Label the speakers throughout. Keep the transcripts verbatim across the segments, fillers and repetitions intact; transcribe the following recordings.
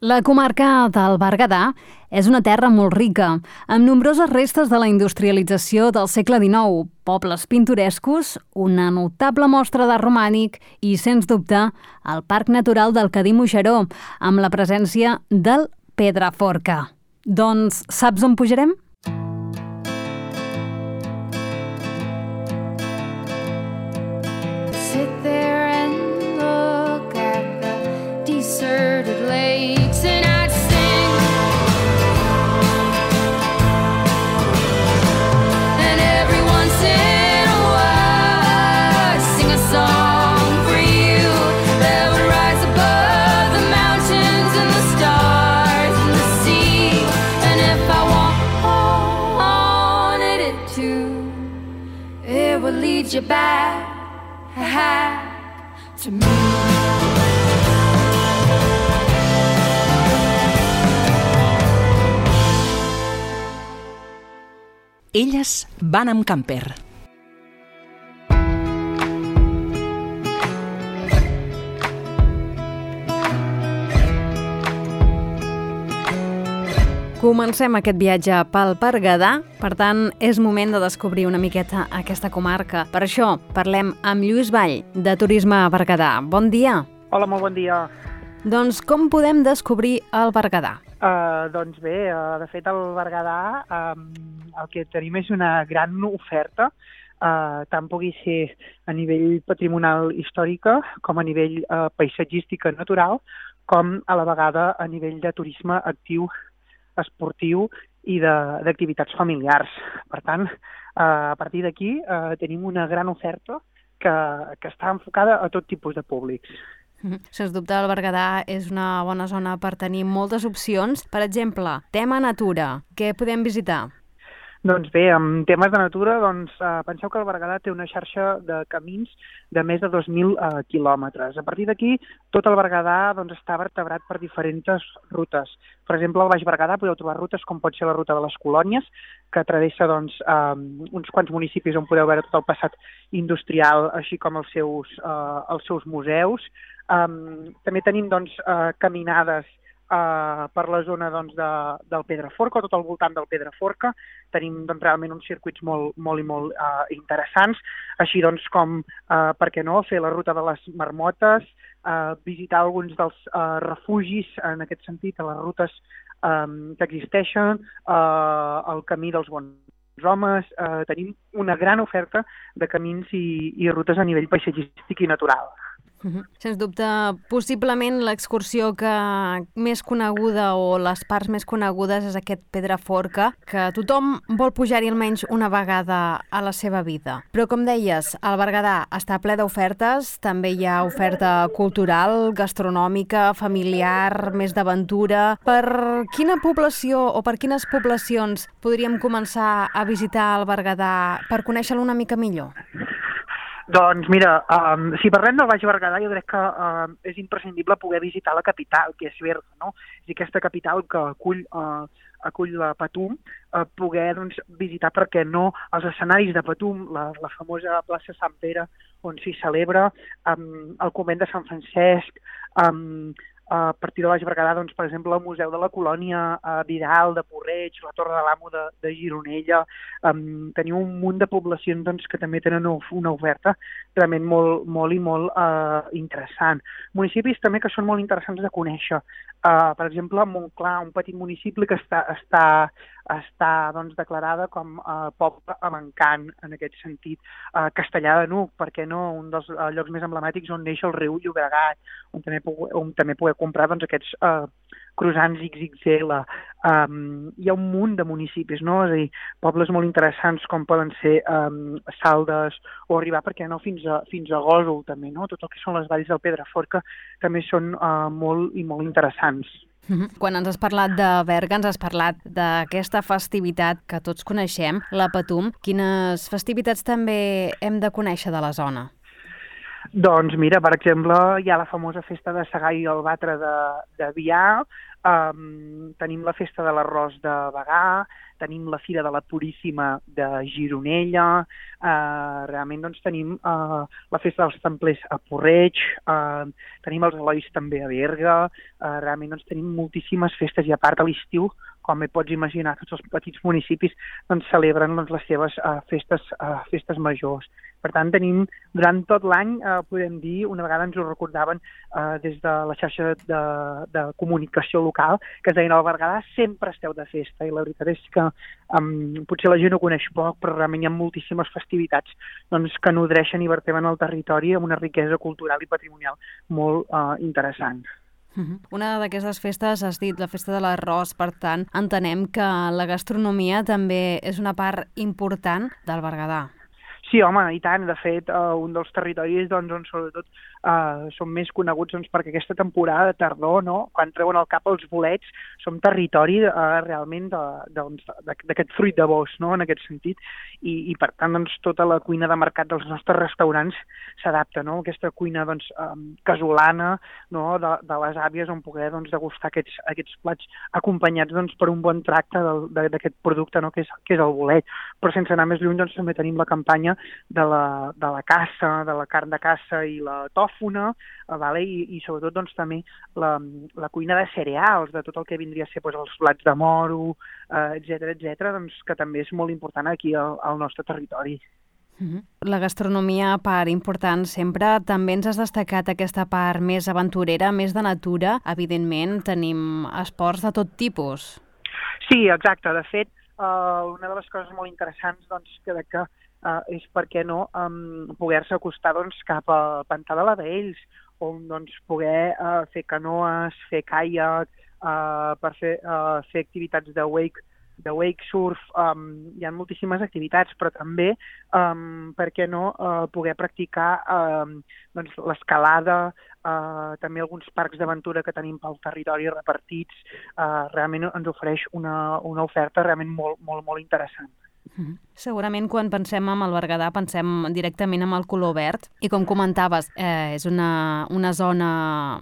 Speaker 1: La comarca del Berguedà és una terra molt rica, amb nombroses restes de la industrialització del segle dinou, pobles pintorescos, una notable mostra d'art romànic i, sens dubte, el Parc Natural del Cadí-Moixeró, amb la presència del Pedraforca. Doncs saps on pujarem?
Speaker 2: Sit there and look at the deserted lakes and I'd sing and every once in a while I'd sing a song for you that would rise above the mountains and the stars and the sea, and if I wanted it to, it would lead you back to me.
Speaker 3: Elles van amb camper.
Speaker 1: Comencem aquest viatge pel Berguedà, per tant, és moment de descobrir una miqueta aquesta comarca. Per això, parlem amb Lluís Vall, de Turisme Berguedà. Bon dia.
Speaker 4: Hola, molt bon dia.
Speaker 1: Doncs com podem descobrir el Berguedà?
Speaker 4: Uh, doncs bé, uh, de fet, el Berguedà um, el que tenim és una gran oferta, uh, tant pugui ser a nivell patrimonial històrica com a nivell uh, paisatgística natural, com a la vegada a nivell de turisme actiu esportiu i d'activitats familiars. Per tant, a partir d'aquí eh, tenim una gran oferta que, que està enfocada a tot tipus de públics.
Speaker 1: Sens dubte, el Berguedà és una bona zona per tenir moltes opcions. Per exemple, tema natura, què podem visitar?
Speaker 4: Doncs bé, en temes de natura, doncs, eh, penseu que el Berguedà té una xarxa de camins de més de dos mil eh, quilòmetres. A partir d'aquí, tot el Berguedà doncs, està vertebrat per diferents rutes. Per exemple, al Baix Berguedà podeu trobar rutes com pot ser la ruta de les Colònies, que travessa doncs, eh, uns quants municipis on podeu veure tot el passat industrial, així com els seus, eh, els seus museus. Um, també tenim doncs, eh, caminades Uh, per la zona doncs, de, del Pedraforca, tot al voltant del Pedraforca. Tenim doncs, realment uns circuits molt, molt i molt uh, interessants, així doncs com, uh, per què no, fer la ruta de les Marmotes, uh, visitar alguns dels uh, refugis, en aquest sentit, a les rutes um, que existeixen, uh, el camí dels bons homes. Uh, tenim una gran oferta de camins i, i rutes a nivell paisatgístic i natural.
Speaker 1: Uh-huh. Sens dubte, possiblement l'excursió que més coneguda o les parts més conegudes és aquest Pedraforca, que tothom vol pujar-hi almenys una vegada a la seva vida. Però com deies, el Berguedà està ple d'ofertes, també hi ha oferta cultural, gastronòmica, familiar, més d'aventura. Per quina població o per quines poblacions podríem començar a visitar el Berguedà per conèixer-lo una mica millor?
Speaker 4: Doncs mira, um, si parlem del Baix Berguedà, jo crec que uh, és imprescindible poder visitar la capital, que és Berga, no? És aquesta capital que acull, uh, acull la Patum, uh, poder doncs, visitar, per què no, els escenaris de Patum, la, la famosa plaça Sant Pere, on s'hi celebra, um, el convent de Sant Francesc, um, a partir de Baix Berguedà, doncs, per exemple, el Museu de la Colònia, eh, Vidal, de Porreig, la Torre de l'Amo de, de Gironella. Um, teniu un munt de poblacions doncs, que també tenen una oferta realment molt, molt i molt uh, interessant. Municipis també que són molt interessants de conèixer. Uh, per exemple, Montclar, un petit municipi que està, està, està doncs, declarada com a uh, poble amb encant, en aquest sentit. Uh, Castellar de N'Hug, per què no? Un dels uh, llocs més emblemàtics on neix el riu Llobregat, on també, on també poder comprar doncs, aquests uh, croissants ics ics ele. Um, hi ha un munt de municipis, no? És a dir, pobles molt interessants com poden ser um, Saldes o arribar, per què no, fins a, fins a Gósol també, no? Tot el que són les valls del Pedraforca també són uh, molt i molt interessants.
Speaker 1: Quan ens has parlat de Berga, ens has parlat d'aquesta festivitat que tots coneixem, la Patum. Quines festivitats també hem de conèixer de la zona?
Speaker 4: Doncs mira, per exemple, hi ha la famosa festa de Segar i el Batre de, de Biar, um, tenim la festa de l'arròs de Bagà, tenim la Fira de la Puríssima de Gironella, uh, realment doncs tenim uh, la festa dels templers a Porreig, uh, tenim els Elois també a Berga, uh, realment doncs tenim moltíssimes festes i a part a l'estiu, com bé pots imaginar, tots els petits municipis doncs, celebren doncs, les seves uh, festes, uh, festes majors. Per tant, tenim durant tot l'any, eh, podem dir, una vegada ens ho recordaven eh, des de la xarxa de, de comunicació local, que es deien al Berguedà sempre esteu de festa, i la veritat és que um, potser la gent ho coneix poc, però realment hi ha moltíssimes festivitats doncs, que nodreixen i verteben el territori amb una riquesa cultural i patrimonial molt eh, interessant.
Speaker 1: Una d'aquestes festes has dit la festa de l'arròs, per tant, entenem que la gastronomia també és una part important del Berguedà.
Speaker 4: Sí, home, i tant. De fet, uh, un dels territoris doncs, on sobretot uh, són més coneguts doncs, perquè aquesta temporada de tardor, no? Quan treuen al cap els bolets, som territori uh, realment d'aquest fruit de bosc, no? En aquest sentit. I, i per tant, doncs, tota la cuina de mercat dels nostres restaurants s'adapta, no? Aquesta cuina doncs, um, casolana, no? de, de les àvies, on poder doncs, degustar aquests, aquests plats acompanyats doncs, per un bon tracte d'aquest producte, no? que, és, que és el bolet. Però sense anar més lluny, doncs, també tenim la campanya de la, de la caça, de la carn de caça i la tòfona, eh, vale? I, i sobretot doncs, també la, la cuina de cereals, de tot el que vindria a ser doncs, els blats de moro, eh, etcètera, etcètera, doncs, que també és molt important aquí al, al nostre territori.
Speaker 1: La gastronomia, part important sempre, també ens has destacat aquesta part més aventurera, més de natura. Evidentment, tenim esports de tot tipus.
Speaker 4: Sí, exacte. De fet, uh, una de les coses molt interessants doncs, que, que Uh, és per què no um, poder-se acostar doncs, cap al pantà de la Vells, on doncs, poder uh, fer canoes, fer caiac, uh, per fer, uh, fer activitats de wake, de wake surf, um, hi ha moltíssimes activitats, però també, um, per què no, uh, poder practicar um, doncs, l'escalada, uh, també alguns parcs d'aventura que tenim pel territori repartits, uh, realment ens ofereix una, una oferta realment molt, molt, molt interessant.
Speaker 1: Segurament quan pensem en el Berguedà pensem directament en el color verd i com comentaves, eh, és una, una zona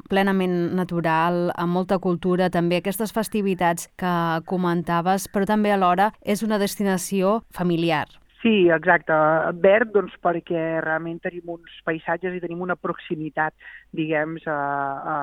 Speaker 1: plenament natural, amb molta cultura, també aquestes festivitats que comentaves, però també alhora és una destinació familiar.
Speaker 4: Sí, exacte. Verd, doncs, perquè realment tenim uns paisatges i tenim una proximitat, diguem, a, a,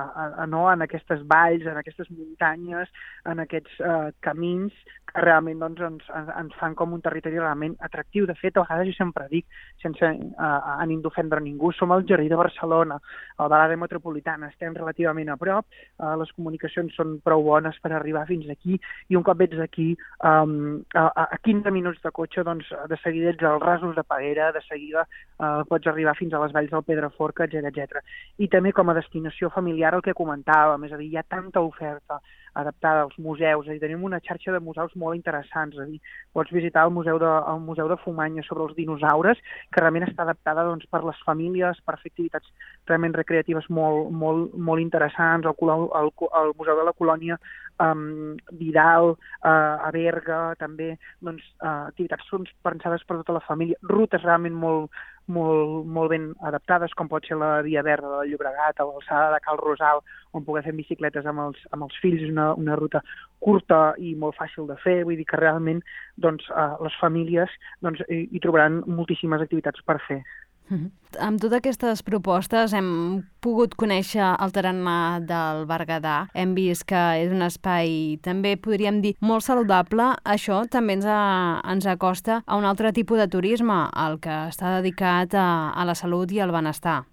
Speaker 4: a, no, en aquestes valls, en aquestes muntanyes, en aquests uh, camins que realment doncs, ens, ens fan com un territori realment atractiu. De fet, a vegades jo sempre dic, sense uh, ànim d'ofendre ningú, som al Jardí de Barcelona, al de l'àrea metropolitana, estem relativament a prop, uh, les comunicacions són prou bones per arribar fins aquí, i un cop ets aquí, um, a, a quinze minuts de cotxe, doncs, de seguida ets als Rasos de Peguera, de seguida uh, pots arribar fins a les valls del Pedraforca, etcètera, etcètera. I també com a destinació familiar el que comentàvem, és a dir, hi ha tanta oferta adaptada als museus, és a dir, tenim una xarxa de museus molt interessants, és a dir, pots visitar el Museu de, el Museu de Fumanya sobre els dinosaures, que realment està adaptada doncs, per les famílies, per fer activitats realment recreatives molt, molt, molt interessants, el, el, el Museu de la Colònia um, Vidal, uh, a Berga, també, doncs, uh, activitats pensades per tota la família, rutes realment molt, molt, molt ben adaptades, com pot ser la Via Verda del Llobregat, a l'alçada de Cal Rosal, on poder fer bicicletes amb els, amb els fills, és una, una ruta curta i molt fàcil de fer, vull dir que realment doncs, eh, les famílies doncs, hi, hi trobaran moltíssimes activitats per fer.
Speaker 1: Mm-hmm. Amb totes aquestes propostes hem pogut conèixer el tarannà del Berguedà. Hem vist que és un espai, també podríem dir, molt saludable. Això també ens, a, ens acosta a un altre tipus de turisme, el que està dedicat a, a la salut i al benestar.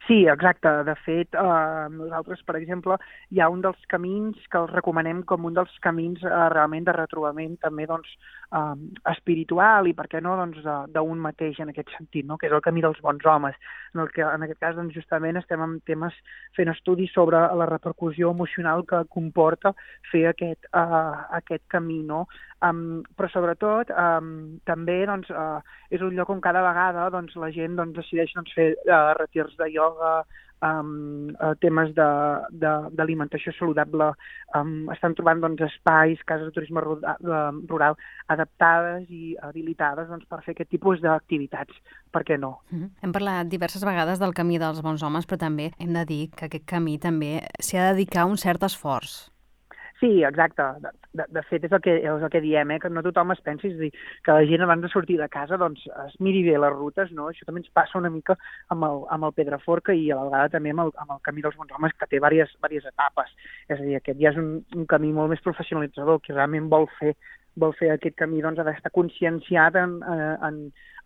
Speaker 4: Sí, exacte. De fet, eh, nosaltres, per exemple, hi ha un dels camins que els recomanem com un dels camins eh, realment de retrobament també doncs, eh, espiritual i, per què no, doncs, d'un mateix en aquest sentit, no? Que és el camí dels bons homes. En, el que, en aquest cas, doncs, justament estem en temes fent estudis sobre la repercussió emocional que comporta fer aquest, eh, aquest camí, no? Um, però sobretot um, també doncs, uh, és un lloc on cada vegada doncs, la gent doncs, decideix doncs, fer uh, retirs de ioga, um, uh, temes de- de- d'alimentació saludable, um, estan trobant doncs, espais, cases de turisme rural, rural adaptades i habilitades doncs, per fer aquest tipus d'activitats. Per què no?
Speaker 1: Mm. Hem parlat diverses vegades del camí dels bons homes, però també hem de dir que aquest camí també s'hi ha de dedicar un cert esforç.
Speaker 4: Sí, exacte. De, de, de fet, és el, que, és el que diem, eh? Que no tothom es pensi, és a dir, que la gent abans de sortir de casa doncs, es miri bé les rutes, no? Això també ens passa una mica amb el, amb el Pedraforca i a la vegada també amb el, amb el Camí dels Bons Homes, que té diverses, diverses etapes. És a dir, aquest ja és un, un camí molt més professionalitzador, que realment vol fer vol fer aquest camí, doncs, ha d'estar conscienciat en, en,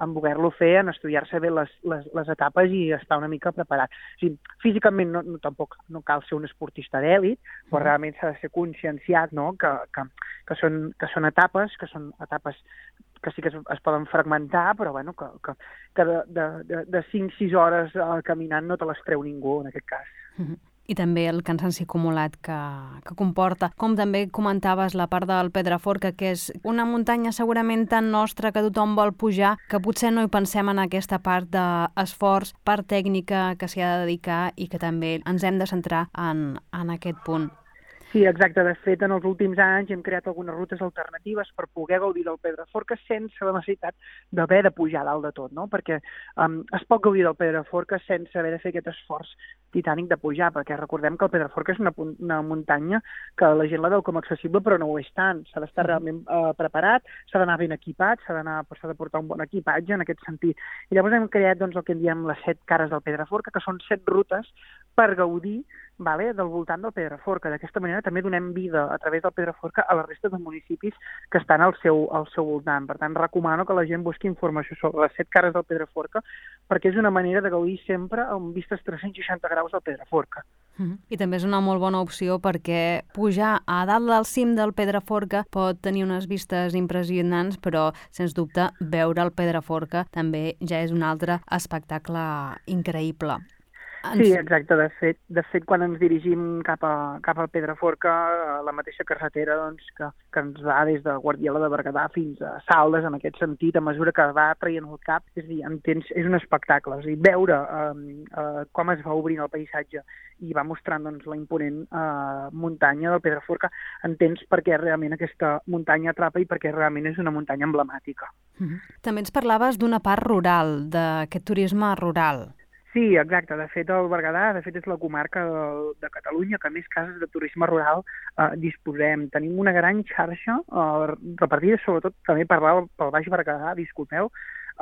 Speaker 4: en voler-lo fer, en estudiar-se bé les, les, les etapes i estar una mica preparat. O sigui, físicament no, no, tampoc no cal ser un esportista d'èlit, però mm. realment s'ha de ser conscienciat, no?, que, que, que, són, que són etapes, que són etapes que sí que es, es poden fragmentar, però bueno, que, que, que de, de, de cinc sis hores uh, caminant no te les treu ningú, en aquest cas.
Speaker 1: Mm-hmm. I també el cansanci acumulat que, que comporta. Com també comentaves la part del Pedraforca, que és una muntanya segurament tan nostra que tothom vol pujar, que potser no hi pensem en aquesta part d'esforç, part tècnica que s'hi ha de dedicar i que també ens hem de centrar en, en aquest punt.
Speaker 4: Sí, exacte. De fet, en els últims anys hem creat algunes rutes alternatives per poder gaudir del Pedraforca sense la necessitat d'haver de pujar dalt de tot, no? Perquè um, es pot gaudir del Pedraforca sense haver de fer aquest esforç titànic de pujar, perquè recordem que el Pedraforca és una, una muntanya que la gent la veu com accessible, però no ho és tant. S'ha d'estar realment uh, preparat, s'ha d'anar ben equipat, s'ha d'anar, s'ha de portar un bon equipatge en aquest sentit. I llavors hem creat doncs, el que en diem les set cares del Pedraforca, que són set rutes per gaudir, vale, del voltant del Pedraforca. D'aquesta manera també donem vida a través del Pedraforca a la resta de municipis que estan al seu, al seu voltant. Per tant, recomano que la gent busqui informació sobre les set cares del Pedraforca perquè és una manera de gaudir sempre amb vistes tres-cents seixanta graus del Pedraforca.
Speaker 1: Mm-hmm. I també és una molt bona opció perquè pujar a dalt del cim del Pedraforca pot tenir unes vistes impressionants, però, sens dubte, veure el Pedraforca també ja és un altre espectacle increïble.
Speaker 4: Sí, exacte. De fet, de fet quan ens dirigim cap, a, cap al Pedraforca, la mateixa carretera doncs, que, que ens va des de Guardiola de Berguedà fins a Saldes, en aquest sentit, a mesura que va traient el cap, és a dir, entens, és un espectacle. És a dir, veure eh, eh, com es va obrint el paisatge i va mostrant doncs, la imponent eh, muntanya del Pedraforca, entens per què realment aquesta muntanya atrapa i per què realment és una muntanya emblemàtica.
Speaker 1: Mm-hmm. També ens parlaves d'una part rural, d'aquest turisme rural.
Speaker 4: Sí, exacte. De fet, el Berguedà de fet, és la comarca de, de Catalunya que més cases de turisme rural eh, disposem. Tenim una gran xarxa eh, repartida, sobretot també per pel Baix Berguedà, disculpeu,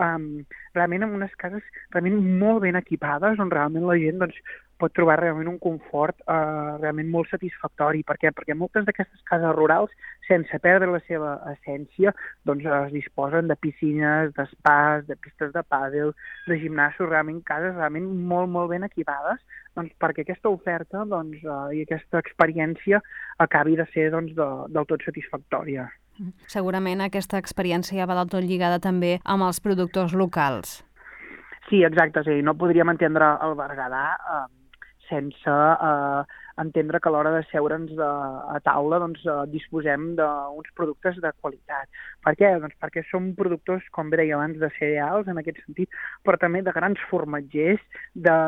Speaker 4: um, realment amb unes cases realment molt ben equipades, on realment la gent doncs, pot trobar realment un confort eh, realment molt satisfactori. Per què? Perquè moltes d'aquestes cases rurals, sense perdre la seva essència, doncs es disposen de piscines, d'espais, de pistes de pàdel, de gimnasos, realment cases realment molt, molt ben equipades, doncs perquè aquesta oferta doncs, eh, i aquesta experiència acabi de ser doncs, de, del tot satisfactòria.
Speaker 1: Segurament aquesta experiència va del tot lligada també amb els productors locals.
Speaker 4: Sí, exacte. Sí. No podríem entendre el Berguedà eh, sense eh, entendre que a l'hora de seure'ns de, a taula doncs, eh, disposem d'uns productes de qualitat. Per què? Doncs perquè som productors, com bé deia abans, de cereals, en aquest sentit, però també de grans formatgers, de,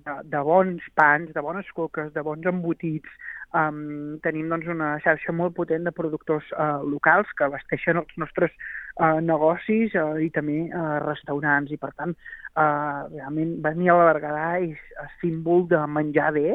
Speaker 4: de, de bons pans, de bones coques, de bons embotits. Um, tenim doncs, una xarxa molt potent de productors uh, locals que abasteixen els nostres uh, negocis uh, i també uh, restaurants. I, per tant, uh, realment venir a la Berguedà és símbol de menjar bé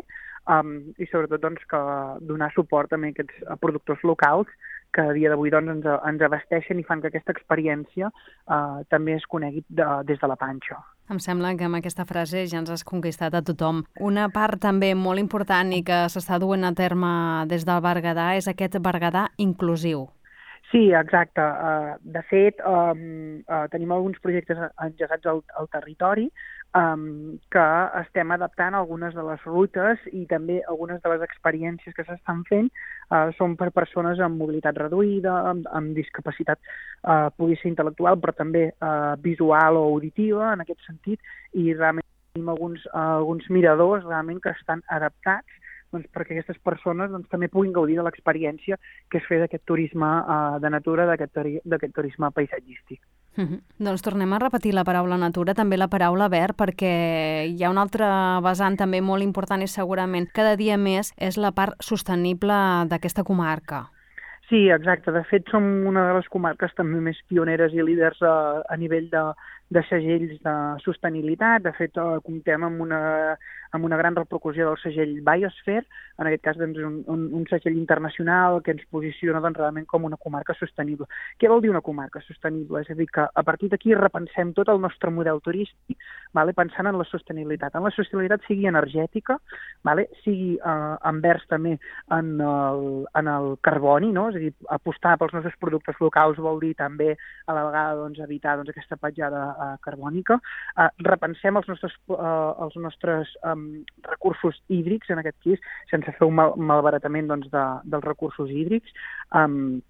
Speaker 4: um, i, sobretot, doncs, que donar suport també a aquests a productors locals que a dia d'avui doncs, ens, ens abasteixen i fan que aquesta experiència uh, també es conegui de, des de la panxa.
Speaker 1: Em sembla que amb aquesta frase ja ens has conquistat a tothom. Una part també molt important i que s'està duent a terme des del Berguedà és aquest Berguedà inclusiu.
Speaker 4: Sí, exacte. Uh, de fet, um, uh, tenim alguns projectes engegats al, al territori um, que estem adaptant algunes de les rutes i també algunes de les experiències que s'estan fent uh, són per persones amb mobilitat reduïda, amb, amb discapacitat, uh, pugui ser intel·lectual, però també uh, visual o auditiva, en aquest sentit, i realment tenim alguns, uh, alguns miradors realment que estan adaptats doncs, perquè aquestes persones doncs, també puguin gaudir de l'experiència que és fer d'aquest turisme uh, de natura, d'aquest turi turisme paisatgístic.
Speaker 1: Mm -hmm. Doncs tornem a repetir la paraula natura, també la paraula verd, perquè hi ha un altre vessant també molt important i segurament cada dia més és la part sostenible d'aquesta comarca.
Speaker 4: Sí, exacte. De fet, som una de les comarques també més pioneres i líders a, a nivell de, de segells de sostenibilitat. De fet, eh, comptem amb una, amb una gran repercussió del segell Biosphere, en aquest cas doncs, un, un, un segell internacional que ens posiciona doncs, realment com una comarca sostenible. Què vol dir una comarca sostenible? És a dir, que a partir d'aquí repensem tot el nostre model turístic, vale? Pensant en la sostenibilitat. En la sostenibilitat sigui energètica, vale? Sigui eh, envers també en el, en el carboni, no? És a dir, apostar pels nostres productes locals vol dir també a la vegada doncs, evitar doncs, aquesta petjada uh, carbònica. Uh, repensem els nostres, uh, els nostres um, recursos hídrics, en aquest cas, sense fer un mal, malbaratament doncs, de, dels recursos hídrics. Um,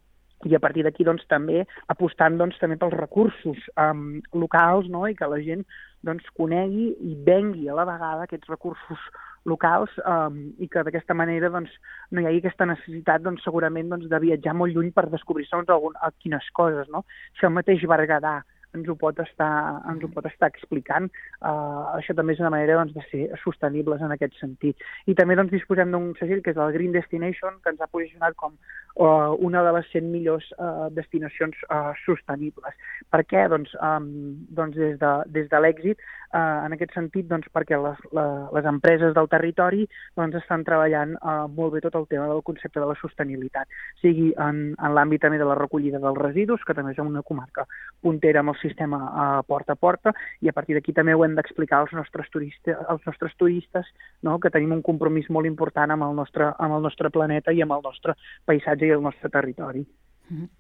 Speaker 4: i a partir d'aquí doncs, també apostant doncs, també pels recursos um, locals, no? I que la gent doncs, conegui i vengui a la vegada aquests recursos locals um, i que d'aquesta manera doncs, no hi hagi aquesta necessitat doncs, segurament doncs, de viatjar molt lluny per descobrir segons algun, quines coses. No? Si el mateix Berguedà ens ho pot estar, ens ho pot estar explicant, uh, això també és una manera doncs, de ser sostenibles en aquest sentit. I també doncs, disposem d'un segell que és el Green Destination, que ens ha posicionat com uh, una de les cent millors uh, destinacions uh, sostenibles. Per què? Doncs, um, doncs des de, des de l'èxit, uh, en aquest sentit, doncs, perquè les, la, les empreses del territori doncs, estan treballant uh, molt bé tot el tema del concepte de la sostenibilitat, sigui en, en l'àmbit també de la recollida dels residus, que també és una comarca puntera amb el sistema uh, porta a porta, i a partir d'aquí també ho hem d'explicar als nostres turistes, als nostres turistes, no? Que tenim un compromís molt important amb el nostre, amb el nostre planeta i amb el nostre paisatge i el nostre territori.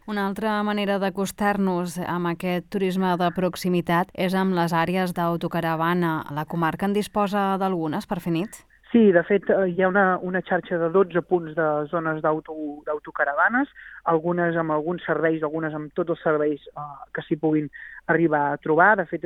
Speaker 1: Una altra manera d'acostar-nos amb aquest turisme de proximitat és amb les àrees d'autocaravana. La comarca en disposa d'algunes per fer nit?
Speaker 4: Sí, de fet, hi ha una, una xarxa de dotze punts de zones d'autocaravanes, algunes amb alguns serveis, algunes amb tots els serveis uh, que s'hi puguin arribar a trobar. De fet,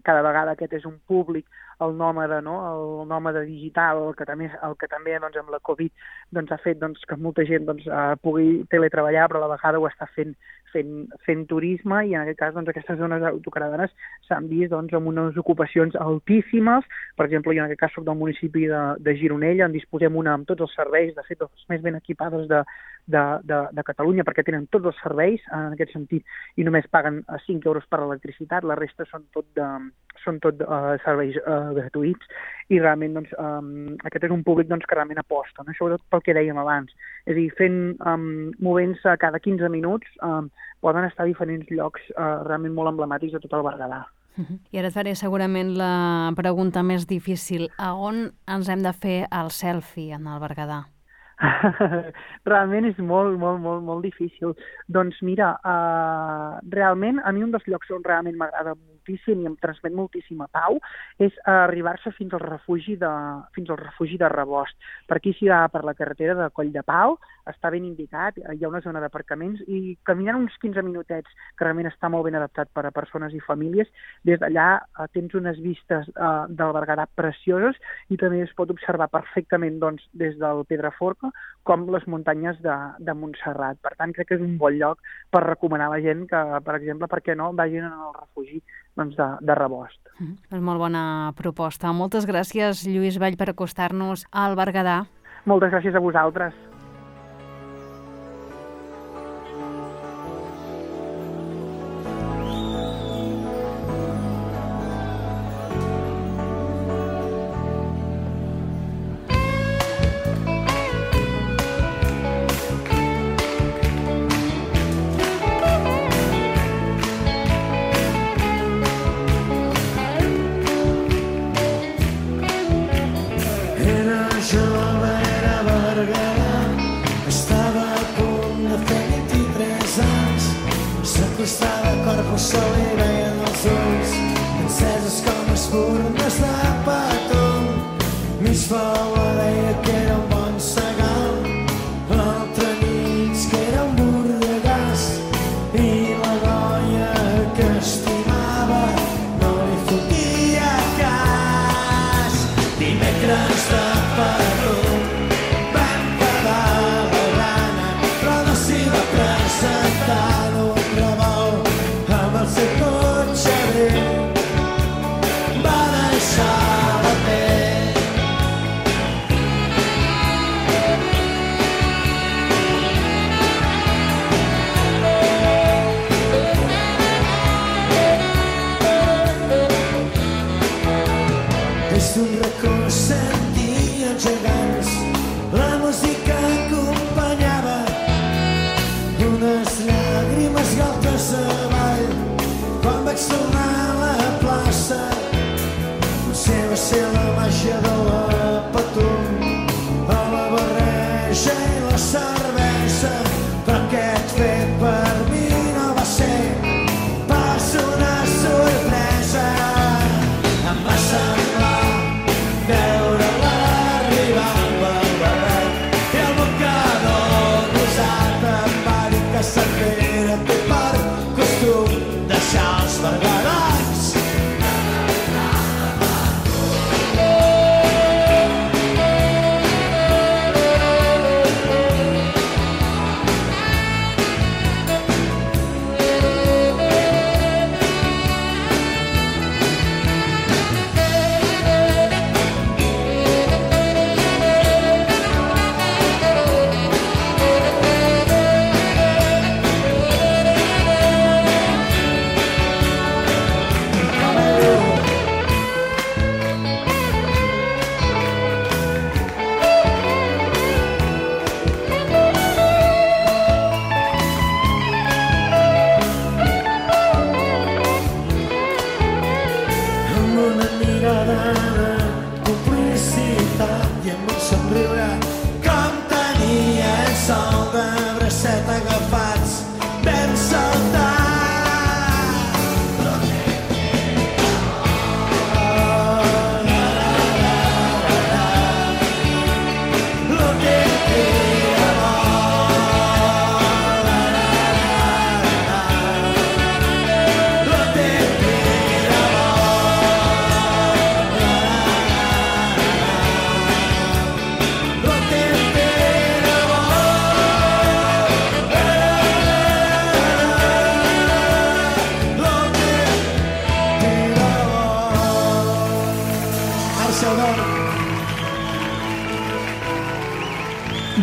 Speaker 4: cada vegada aquest és un públic, el nòmade, no? El nòmade digital, el que també, el que també doncs, amb la Covid doncs, ha fet doncs, que molta gent doncs, uh, pugui teletreballar, però a la vegada ho està fent, fent, fent turisme, i en aquest cas doncs, aquestes zones autocaravanes s'han vist doncs, amb unes ocupacions altíssimes. Per exemple, jo en aquest cas soc del municipi de, de Gironella, en disposem una amb tots els serveis, de fet, les més ben equipades de, de, de, de Catalunya, perquè tenen tots els serveis en aquest sentit, i només paguen cinc euros per l'electricitat, la resta són tot, de, són tot uh, serveis uh, gratuïts, i realment doncs, um, aquest és un públic doncs, que realment aposta, no? Sobretot pel que dèiem abans, és a dir, fent, um, movent-se cada quinze minuts, um, poden estar a diferents llocs uh, realment molt emblemàtics de tot el Berguedà.
Speaker 1: I ara et faré segurament la pregunta més difícil. A on ens hem de fer el selfie en el Berguedà?
Speaker 4: Realment és molt, molt, molt, molt difícil. Doncs mira, uh, realment a mi un dels llocs on realment m'agrada moltíssim i em transmet moltíssima pau és arribar-se fins al refugi de, fins al refugi de Rebost. Per aquí s'hi va per la carretera de Coll de Pau, està ben indicat, hi ha una zona d'aparcaments, i caminant uns quinze minutets, que realment està molt ben adaptat per a persones i famílies, des d'allà uh, tens unes vistes uh, del Berguedà precioses, i també es pot observar perfectament doncs, des del Pedraforca com les muntanyes de, de Montserrat. Per tant, crec que és un bon lloc per recomanar a la gent que, per exemple, per què no, vagin al refugi doncs, de, de Rebost.
Speaker 1: Mm, és molt bona proposta. Moltes gràcies, Lluís Vall, per acostar-nos al Berguedà.
Speaker 4: Moltes gràcies a vosaltres.
Speaker 5: Dimecres de Patum. menjador a Patum, a la barreja i la cervesa, però aquest fet per mi no va ser pas una sorpresa. Em va semblar veure-la arribar amb el barret i el mocador posat. Em va dir que Cervera té per costum deixar els berberats.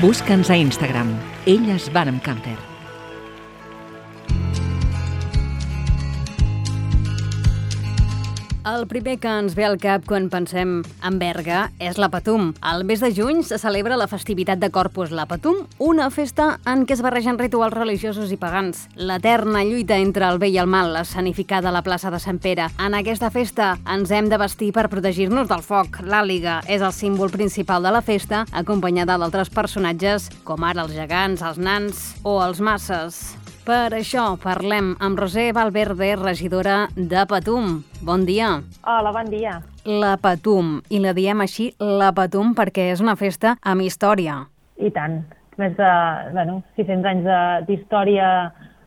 Speaker 3: Busca'ns a Instagram. Elles van amb camper.
Speaker 1: El primer que ens ve al cap quan pensem en Berga és la Patum. Al mes de juny se celebra la festivitat de Corpus, la Patum, una festa en què es barregen rituals religiosos i pagans. L'eterna lluita entre el bé i el mal, escenificada a la plaça de Sant Pere. En aquesta festa ens hem de vestir per protegir-nos del foc. L'àliga és el símbol principal de la festa, acompanyada d'altres personatges com ara els gegants, els nans o els masses. Per això parlem amb Roser Valverde, regidora de Patum. Bon dia.
Speaker 6: Hola, bon dia.
Speaker 1: La Patum, i la diem així, la Patum, perquè és una festa amb història.
Speaker 6: I tant. Més de bueno, sis-cents anys d'història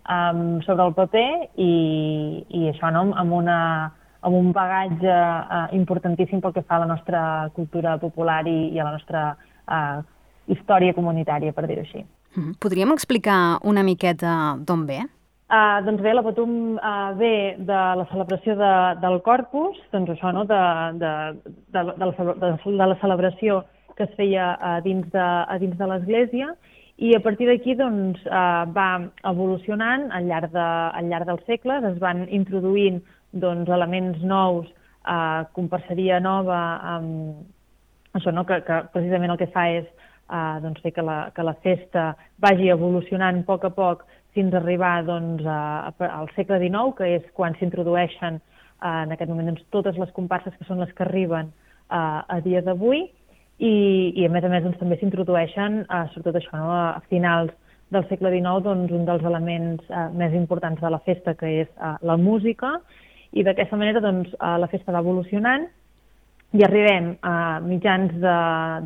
Speaker 6: um, sobre el paper i, i això, no? amb, una, amb un bagatge uh, importantíssim pel que fa a la nostra cultura popular i, i a la nostra uh, història comunitària, per dir-ho així.
Speaker 1: Podríem explicar una miqueta d'on ve?
Speaker 6: Uh, doncs bé, la Patum uh, ve de la celebració de, del Corpus, doncs això, no? de, de, de, de, la, de, de la celebració que es feia a dins de, a dins de l'Església, i a partir d'aquí doncs, uh, va evolucionant al llarg, de, al llarg dels segles, es van introduint doncs, elements nous, uh, comparseria nova, um, això, no? que, que precisament el que fa és Uh, doncs fer que la, que la festa vagi evolucionant a poc a poc fins a arribar doncs, a, a, al segle dinou, que és quan s'introdueixen uh, en aquest moment doncs, totes les comparses que són les que arriben uh, a dia d'avui, i, i a més a més doncs, també s'introdueixen, uh, sobretot això, no, a finals del segle dinou, doncs, un dels elements uh, més importants de la festa, que és uh, la música, i d'aquesta manera doncs, uh, la festa va evolucionant i arribem a mitjans de,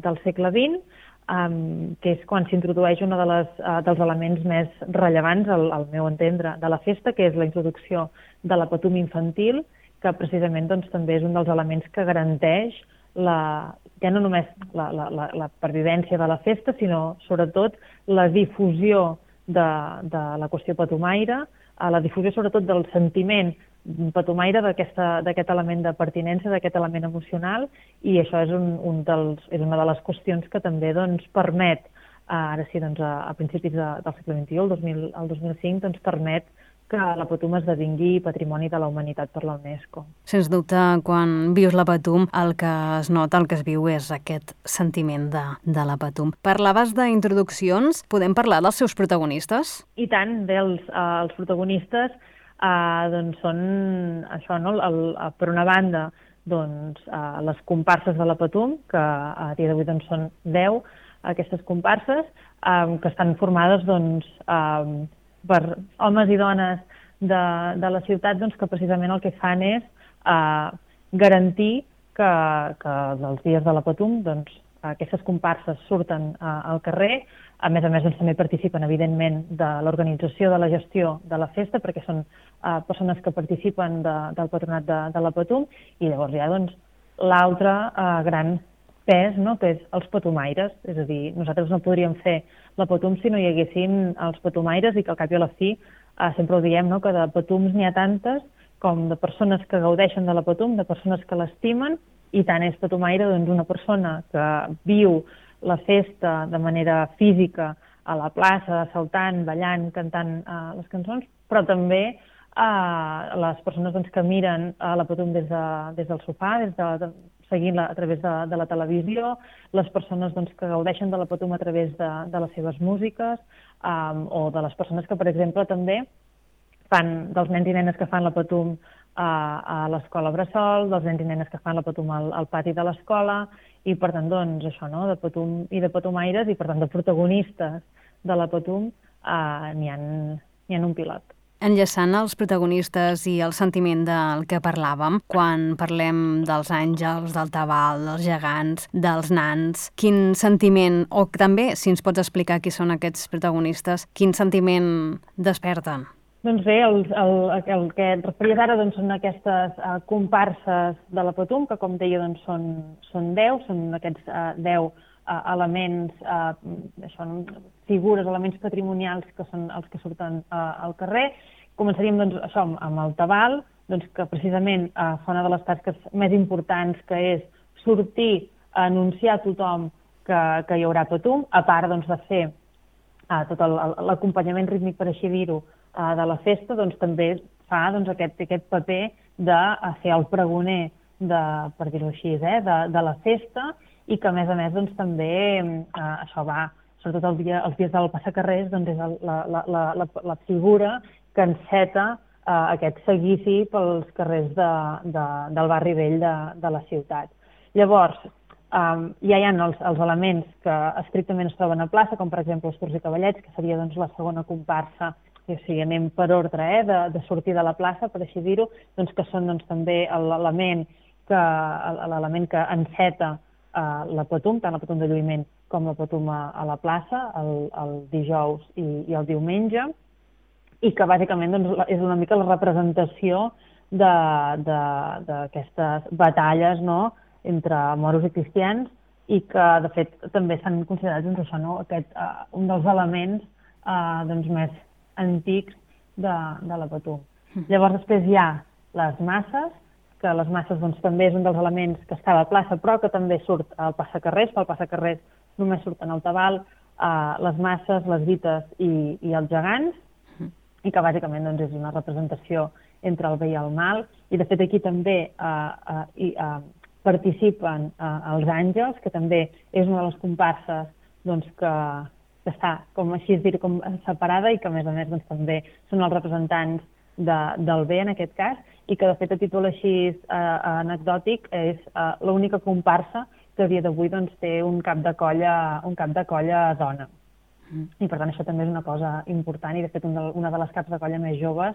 Speaker 6: del segle vint, Um, que és quan s'introdueix un de les, uh, dels elements més rellevants, al, al meu entendre, de la festa, que és la introducció de la Patum infantil, que precisament doncs, també és un dels elements que garanteix la, ja no només la, la, la, la pervivència de la festa, sinó sobretot la difusió de, de la qüestió patumaire, uh, la difusió sobretot del sentiment patumaire, d'aquest element de pertinença, d'aquest element emocional, i això és, un, un dels, és una de les qüestions que també doncs, permet, ara sí, doncs, a, a principis de, del segle vint-i-u, el dos mil, el dos mil cinc, doncs, permet que la Patum esdevingui Patrimoni de la Humanitat per la UNESCO.
Speaker 1: Sens dubte, quan vius la Patum, el que es nota, el que es viu és aquest sentiment de, de la Patum. Parlaves d'introduccions, podem parlar dels seus protagonistes?
Speaker 6: I tant, bé, els, uh, els protagonistes Uh, doncs són això, no? el, el, per una banda, doncs, uh, les comparses de la Patum, que a dia d'avui doncs, són deu aquestes comparses, um, que estan formades doncs, um, per homes i dones de, de la ciutat doncs, que precisament el que fan és uh, garantir que, que els dies de la Patum doncs, aquestes comparses surten uh, al carrer. A més a més, doncs, també participen, evidentment, de l'organització de la gestió de la festa, perquè són uh, persones que participen de, del patronat de, de la Patum, i llavors hi ha doncs, l'altre uh, gran pes, no?, que és els patumaires. És a dir, nosaltres no podríem fer la Patum si no hi haguessin els patumaires, i que al cap i a la fi uh, sempre ho diem, no?, que de Patums n'hi ha tantes com de persones que gaudeixen de la Patum, de persones que l'estimen, i tant és patumaire doncs, una persona que viu la festa de manera física a la plaça, saltant, ballant, cantant uh, les cançons, però també uh, les persones doncs, que miren uh, la Patum des, de, des del sofà, des de, de, seguint-la a través de, de la televisió, les persones doncs, que gaudeixen de la Patum a través de, de les seves músiques, um, o de les persones que, per exemple, també fan dels nens i nenes que fan la Patum a, a l'escola Bressol, dels nens i nenes que fan la Patum al, al pati de l'escola, i per tant, doncs, això, no?, de Patum i de patumaires, i per tant, de protagonistes de la Patum, eh, n'hi ha, n'hi ha un pilot.
Speaker 1: Enllaçant els protagonistes i el sentiment del que parlàvem, quan parlem dels àngels, del tabal, dels gegants, dels nans, quin sentiment, o també, si ens pots explicar qui són aquests protagonistes, quin sentiment desperten?
Speaker 6: Doncs bé, el, el, el que et referies ara doncs, són aquestes uh, comparses de la Patum, que com deia doncs, són, són deu, són aquests uh, deu uh, elements, uh, això, figures, elements patrimonials que són els que surten uh, al carrer. Començaríem doncs, això, amb el tabal, doncs, que precisament uh, fa una de les tasques més importants, que és sortir a anunciar a tothom que, que hi haurà Patum, a part doncs, de fer uh, tot l'acompanyament rítmic, per així dir-ho, de la festa, doncs també fa doncs, aquest, aquest paper de ser el pregoner, de, per dir-ho així, eh, de, de la festa, i que a més a més doncs, també eh, això va, sobretot el dia, els dies del passacarrers, doncs és el, la, la, la, la, la figura que enceta eh, aquest seguici pels carrers de, de, del barri vell de, de la ciutat. Llavors, Um, ja hi ha els, els elements que estrictament es troben a plaça, com per exemple els tours i cavallets, que seria doncs, la segona comparsa, o sigui, anem per ordre eh, de, de sortir de la plaça, per així dir-ho, doncs, que són doncs, també l'element que, l'element que enceta uh, la Patum, tant la Patum de lluïment com la Patum a, a la plaça, el, el dijous i, i el diumenge, i que bàsicament doncs, és una mica la representació d'aquestes batalles, no?, entre moros i cristians, i que, de fet, també s'han considerat doncs, això, no? Aquest, uh, un dels elements uh, doncs, més antics de, de la Patum. Mm. Llavors, després hi ha les masses, que les masses doncs, també és un dels elements que està a la plaça, però que també surt al passacarrers, pel passacarrers només surten el tabal, uh, les masses, les vites i, i els gegants, mm. i que bàsicament doncs, és una representació entre el bé i el mal, i de fet aquí també uh, uh, i, uh, participen eh, els àngels, que també és una de les comparses doncs, que, que està, com així dir, com separada, i que a més a més doncs, també són els representants de, del bé en aquest cas, i que de fet a títol així eh, anecdòtic és eh, l'única comparsa que a dia d'avui doncs, té un cap de colla, un cap de colla dona. Mm. I per tant això també és una cosa important, i de fet un de, una de les caps de colla més joves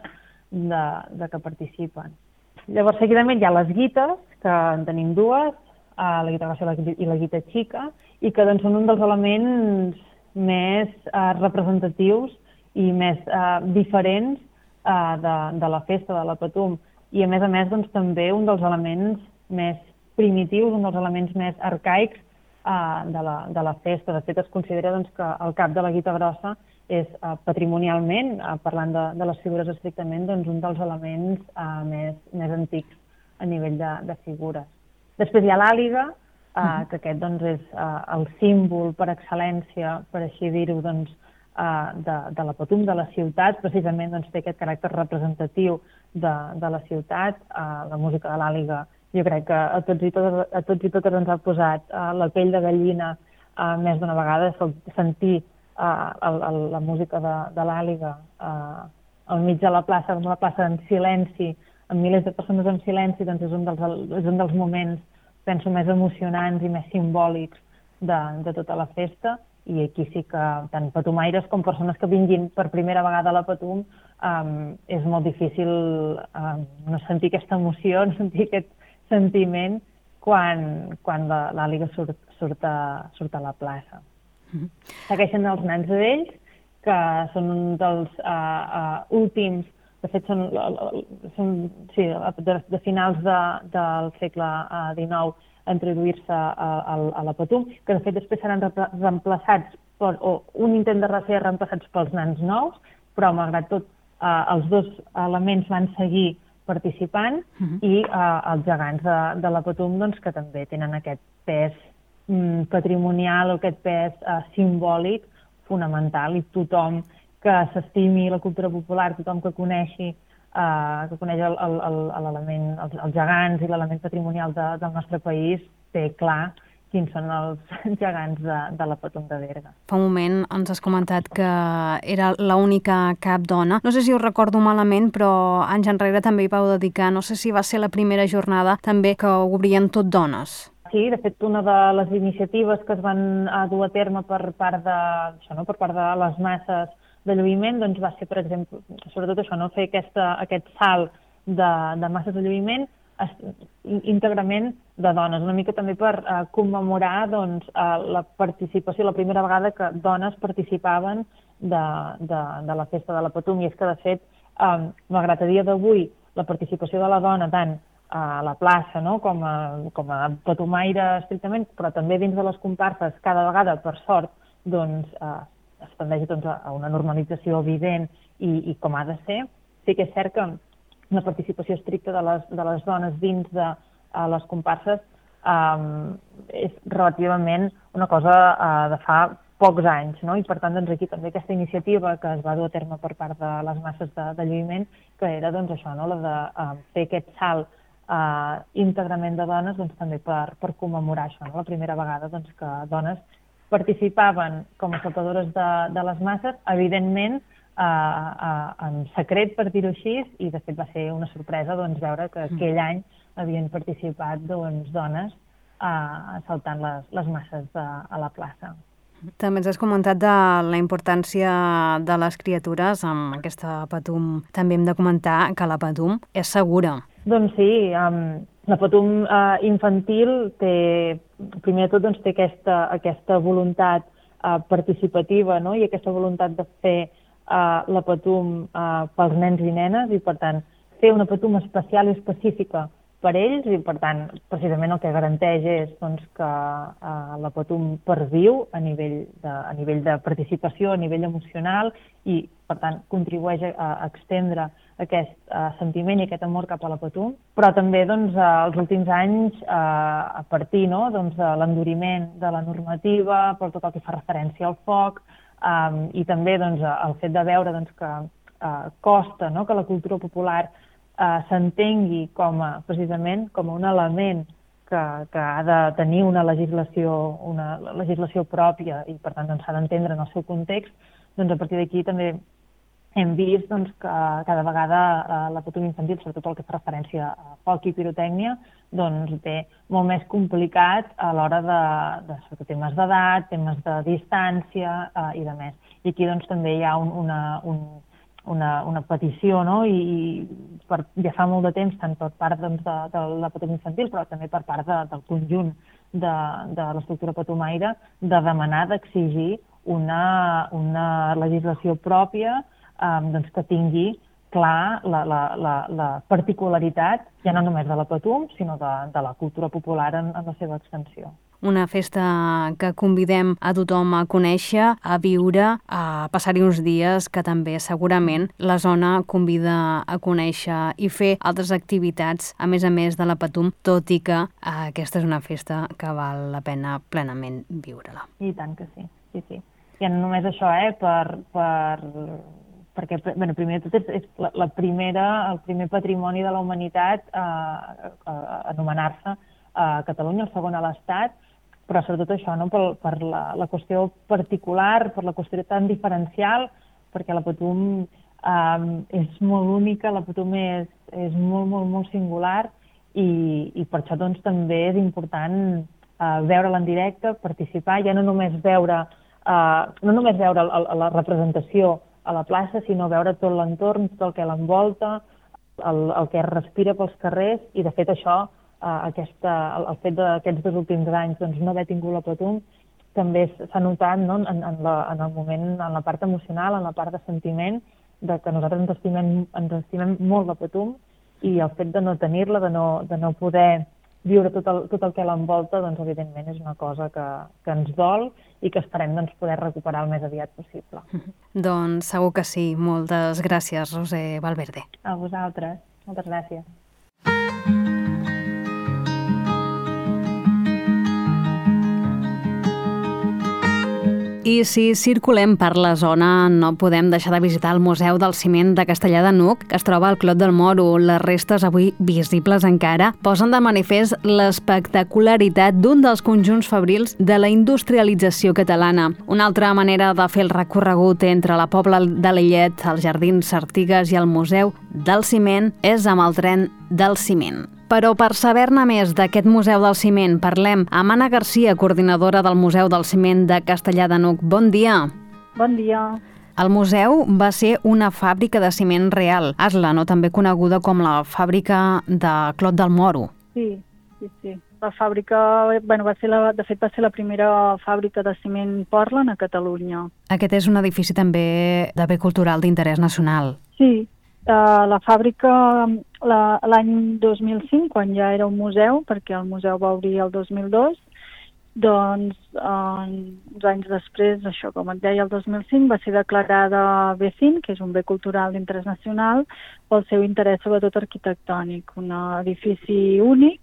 Speaker 6: de, de que participen. Llavors, seguidament hi ha les guites, que en tenim dues, la guita grossa i la guita xica, i que doncs, són un dels elements més eh, representatius i més eh, diferents eh, de, de la festa de la Patum. I a més a més doncs, també un dels elements més primitius, un dels elements més arcaics eh, de, la, de la festa. De fet, es considera doncs, que el cap de la guita grossa és eh, patrimonialment, eh, parlant de, de les figures estrictament, doncs, un dels elements eh, més, més antics a nivell de, de figures. Després hi ha l'àliga, eh, uh-huh. que aquest doncs, és eh, el símbol per excel·lència, per així dir-ho, doncs, eh, de, de la Patum, de la ciutat, precisament doncs, té aquest caràcter representatiu de, de la ciutat. Eh, la música de l'àliga, jo crec que a tots i totes, a tots i totes ens ha posat eh, la pell de gallina eh, més d'una vegada, sentir Uh, el, el, la música de, de l'àliga uh, al mig de la plaça, la plaça en silenci, amb milers de persones en silenci, doncs és un dels, és un dels moments, penso, més emocionants i més simbòlics de, de tota la festa, i aquí sí que tant patumaires com persones que vinguin per primera vegada a la Patum um, és molt difícil um, no sentir aquesta emoció, no sentir aquest sentiment quan, quan l'Àliga surt, surt, a, surt a la plaça. Mm-hmm. Segueixen els nans vells, que són un dels uh, uh, últims, de fet són, són sí, de, de finals de, del segle dinou, a introduir-se a, a, a la Patum, que de fet després seran reemplaçats, per, o un intent de ser reemplaçats pels nans nous, però malgrat tot eh, els dos elements van seguir participant, uh-huh. i eh, els gegants de, de la Patum, doncs, que també tenen aquest pes mm, patrimonial, aquest pes eh, simbòlic fonamental, i tothom que s'estimi la cultura popular, tothom que coneixi Uh, que coneix l'element, els, els gegants i l'element patrimonial de, del nostre país, té clar quins són els gegants de, de la Patum de Berga.
Speaker 1: Fa un moment ens has comentat que era l'única cap dona. No sé si ho recordo malament, però anys enrere també hi vau dedicar, no sé si va ser la primera jornada també que ho obrien tot dones.
Speaker 6: Sí, de fet, una de les iniciatives que es van dur a terme per part de, això, no, per part de les masses de lluïment, doncs va ser, per exemple, sobretot això, no? Fer aquesta, aquest salt de, de masses de lluïment es, íntegrament de dones, una mica també per eh, commemorar doncs, eh, la participació, la primera vegada que dones participaven de, de, de la festa de la Patum, i és que, de fet, eh, malgrat a dia d'avui la participació de la dona tant a la plaça, no? com, a, com a patumaire estrictament, però també dins de les comparses, cada vegada, per sort, doncs, eh, es tendeix doncs, a una normalització evident i, i com ha de ser. Sí que és cert que la participació estricta de les, de les dones dins de uh, les comparses um, és relativament una cosa uh, de fa pocs anys, no? I per tant doncs, aquí també aquesta iniciativa que es va dur a terme per part de les masses de, de lluïment, que era doncs, això, no? La de uh, fer aquest salt uh, íntegrament de dones, doncs, també per, per commemorar això, no? La primera vegada doncs, que dones participaven com a saltadores de, de les masses, evidentment eh, eh, en secret, per dir-ho així, i de fet va ser una sorpresa doncs, veure que aquell any havien participat doncs, dones eh, saltant les, les masses de, a la plaça.
Speaker 1: També ens has comentat de la importància de les criatures amb aquesta Patum. També hem de comentar que la Patum és segura.
Speaker 6: Doncs sí, um, la Patum uh, infantil té, primer de tot, doncs, té aquesta, aquesta voluntat uh, participativa, no? I aquesta voluntat de fer uh, la Patum uh, pels nens i nenes, i per tant fer una Patum especial i específica per ells, i per tant precisament el que garanteix és doncs, que uh, la Patum perviu a nivell, de, a nivell de participació, a nivell emocional, i per tant contribueix a, a extendre aquest uh, sentiment i aquest amor cap a la Patum, però també doncs, als últims anys, uh, a partir no, doncs, de l'enduriment de la normativa, per tot el que fa referència al foc, um, i també doncs, el fet de veure doncs, que uh, costa no, que la cultura popular Uh, s'entengui com a, precisament com a un element que, que ha de tenir una legislació, una legislació pròpia, i per tant doncs, s'ha d'entendre en el seu context, doncs a partir d'aquí també hem vist doncs, que cada vegada uh, la Patum infantil, sobretot el que fa referència a foc i pirotècnia, doncs té molt més complicat a l'hora de, de, de temes d'edat, temes de distància uh, i de més. I aquí doncs, també hi ha un, una, un Una, una petició, no? I, i per, ja fa molt de temps, tant per part doncs, de, de la Patum infantil, però també per part de, del conjunt de, de l'estructura patumaire, de demanar, d'exigir una, una legislació pròpia um, doncs, que tingui clar la, la, la, la particularitat, ja no només de la Patum, sinó de, de la cultura popular en, en la seva extensió.
Speaker 1: Una festa que convidem a tothom a conèixer, a viure, a passar-hi uns dies, que també segurament la zona convida a conèixer i fer altres activitats, a més a més de la Patum, tot i que eh, aquesta és una festa que val la pena plenament viure-la.
Speaker 6: I tant que sí, sí, sí. I no només això, eh, per... per... perquè, bueno, primer de tot, és, és la, la primera, el primer patrimoni de la humanitat a, a, a anomenar-se a Catalunya, el segon a l'Estat, però sobretot això, no? per, per la, la qüestió particular, per la qüestió tan diferencial, perquè la Patum Um, és molt única, la Patum és, és molt, molt, molt singular i, i per això doncs, també és important uh, veure-la en directe, participar, ja no només veure, uh, no només veure el, el, la representació a la plaça, sinó veure tot l'entorn, tot el que l'envolta, el, el que es respira pels carrers, i de fet això, uh, aquesta, el, el fet d'aquests dos últims anys doncs, no haver tingut la Patum, també s'ha notat, no? en, en, la, en el moment, en la part emocional, en la part de sentiment, de que nosaltres ens estimem, ens estimem molt la Patum, i el fet de no tenir-la, de, no, de no poder viure tot el, tot el que l'envolta, doncs evidentment és una cosa que, que ens dol i que esperem doncs, poder recuperar el més aviat possible.
Speaker 1: Doncs segur que sí. Moltes gràcies, Roser Valverde.
Speaker 6: A vosaltres. Moltes gràcies.
Speaker 1: I si circulem per la zona, no podem deixar de visitar el Museu del Ciment de Castellar de n'Hug, que es troba al Clot del Moro. Les restes, avui visibles encara, posen de manifest l'espectacularitat d'un dels conjunts fabrils de la industrialització catalana. Una altra manera de fer el recorregut entre la Pobla de Lillet, els Jardins Artigues i el Museu del Ciment és amb el tren del ciment. Però per saber-ne més d'aquest Museu del Ciment, parlem amb Anna Garcia, coordinadora del Museu del Ciment de Castellar de n'Hug. Bon dia.
Speaker 7: Bon dia.
Speaker 1: El museu va ser una fàbrica de ciment real, Asla, no? També coneguda com la fàbrica de Clot del Moro.
Speaker 7: Sí, sí, sí. La fàbrica, bueno, va ser la, de fet va ser la primera fàbrica de ciment Portland a Catalunya.
Speaker 1: Aquest és un edifici també de bé cultural d'interès nacional.
Speaker 7: Sí, uh, la fàbrica la, l'any dos mil cinc, quan ja era un museu, perquè el museu va obrir el dos mil dos, doncs uh, uns anys després, això com et deia, el dos mil cinc, va ser declarada B cinc, que és un bé cultural d'interès nacional, pel seu interès sobretot arquitectònic, un edifici únic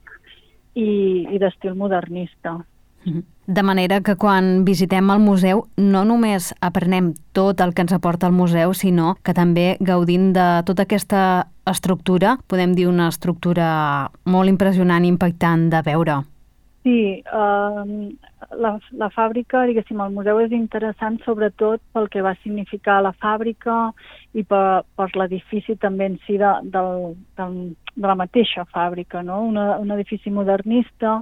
Speaker 7: i, i d'estil modernista.
Speaker 1: De manera que quan visitem el museu no només aprenem tot el que ens aporta el museu, sinó que també gaudint de tota aquesta estructura, podem dir una estructura molt impressionant i impactant de veure.
Speaker 7: Sí, uh, la, la fàbrica, diguéssim, el museu és interessant sobretot pel que va significar la fàbrica i per, per l'edifici també en si de, del, del, de la mateixa fàbrica, no? Una, un edifici modernista,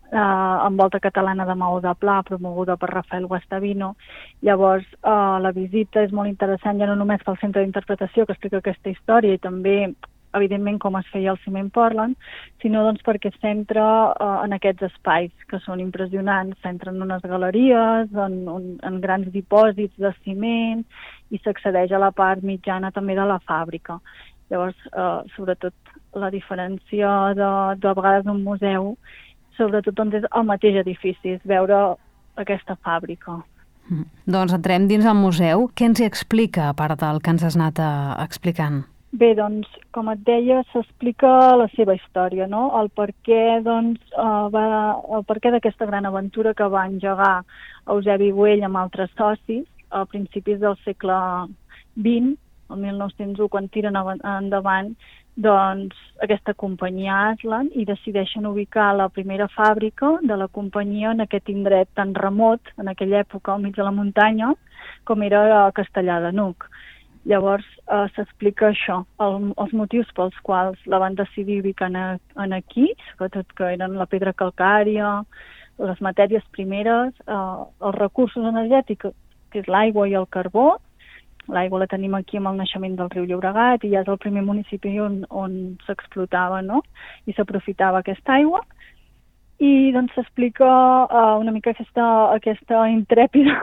Speaker 7: eh, amb volta catalana de maó de pla, promoguda per Rafael Guastavino. Llavors, eh, la visita és molt interessant, ja no només pel centre d'interpretació que explica aquesta història i també, evidentment, com es feia el ciment Portland, sinó doncs, perquè es centra eh, en aquests espais que són impressionants. S'entra en unes galeries, en, en, en grans dipòsits de ciment i s'accedeix a la part mitjana també de la fàbrica. Llavors, eh, sobretot, la diferència de, de vegades d'un museu, sobretot doncs, és el mateix edifici, és veure aquesta fàbrica.
Speaker 1: Mm. Doncs entrem dins el museu. Què ens hi explica, a part del que ens has anat uh, explicant?
Speaker 7: Bé, doncs, com et deia, s'explica la seva història, no? El per què, doncs, uh, va, el per què d'aquesta gran aventura que va engegar Eusebi Güell amb altres socis a principis del segle vint, el mil nou-cents u, quan tiren endavant doncs, aquesta companyia Aslan i decideixen ubicar la primera fàbrica de la companyia en aquest indret tan remot, en aquella època, al mig de la muntanya, com era a Castellar de n'Hug. Llavors eh, s'explica això, el, els motius pels quals la van decidir ubicar en, en aquí, sobretot que eren la pedra calcària, les matèries primeres, eh, els recursos energètics, que és l'aigua i el carbó. L'aigua la tenim aquí amb el naixement del riu Llobregat i ja és el primer municipi on, on s'explotava, no? I s'aprofitava aquesta aigua. I doncs s'explica uh, una mica aquesta, aquesta intrèpida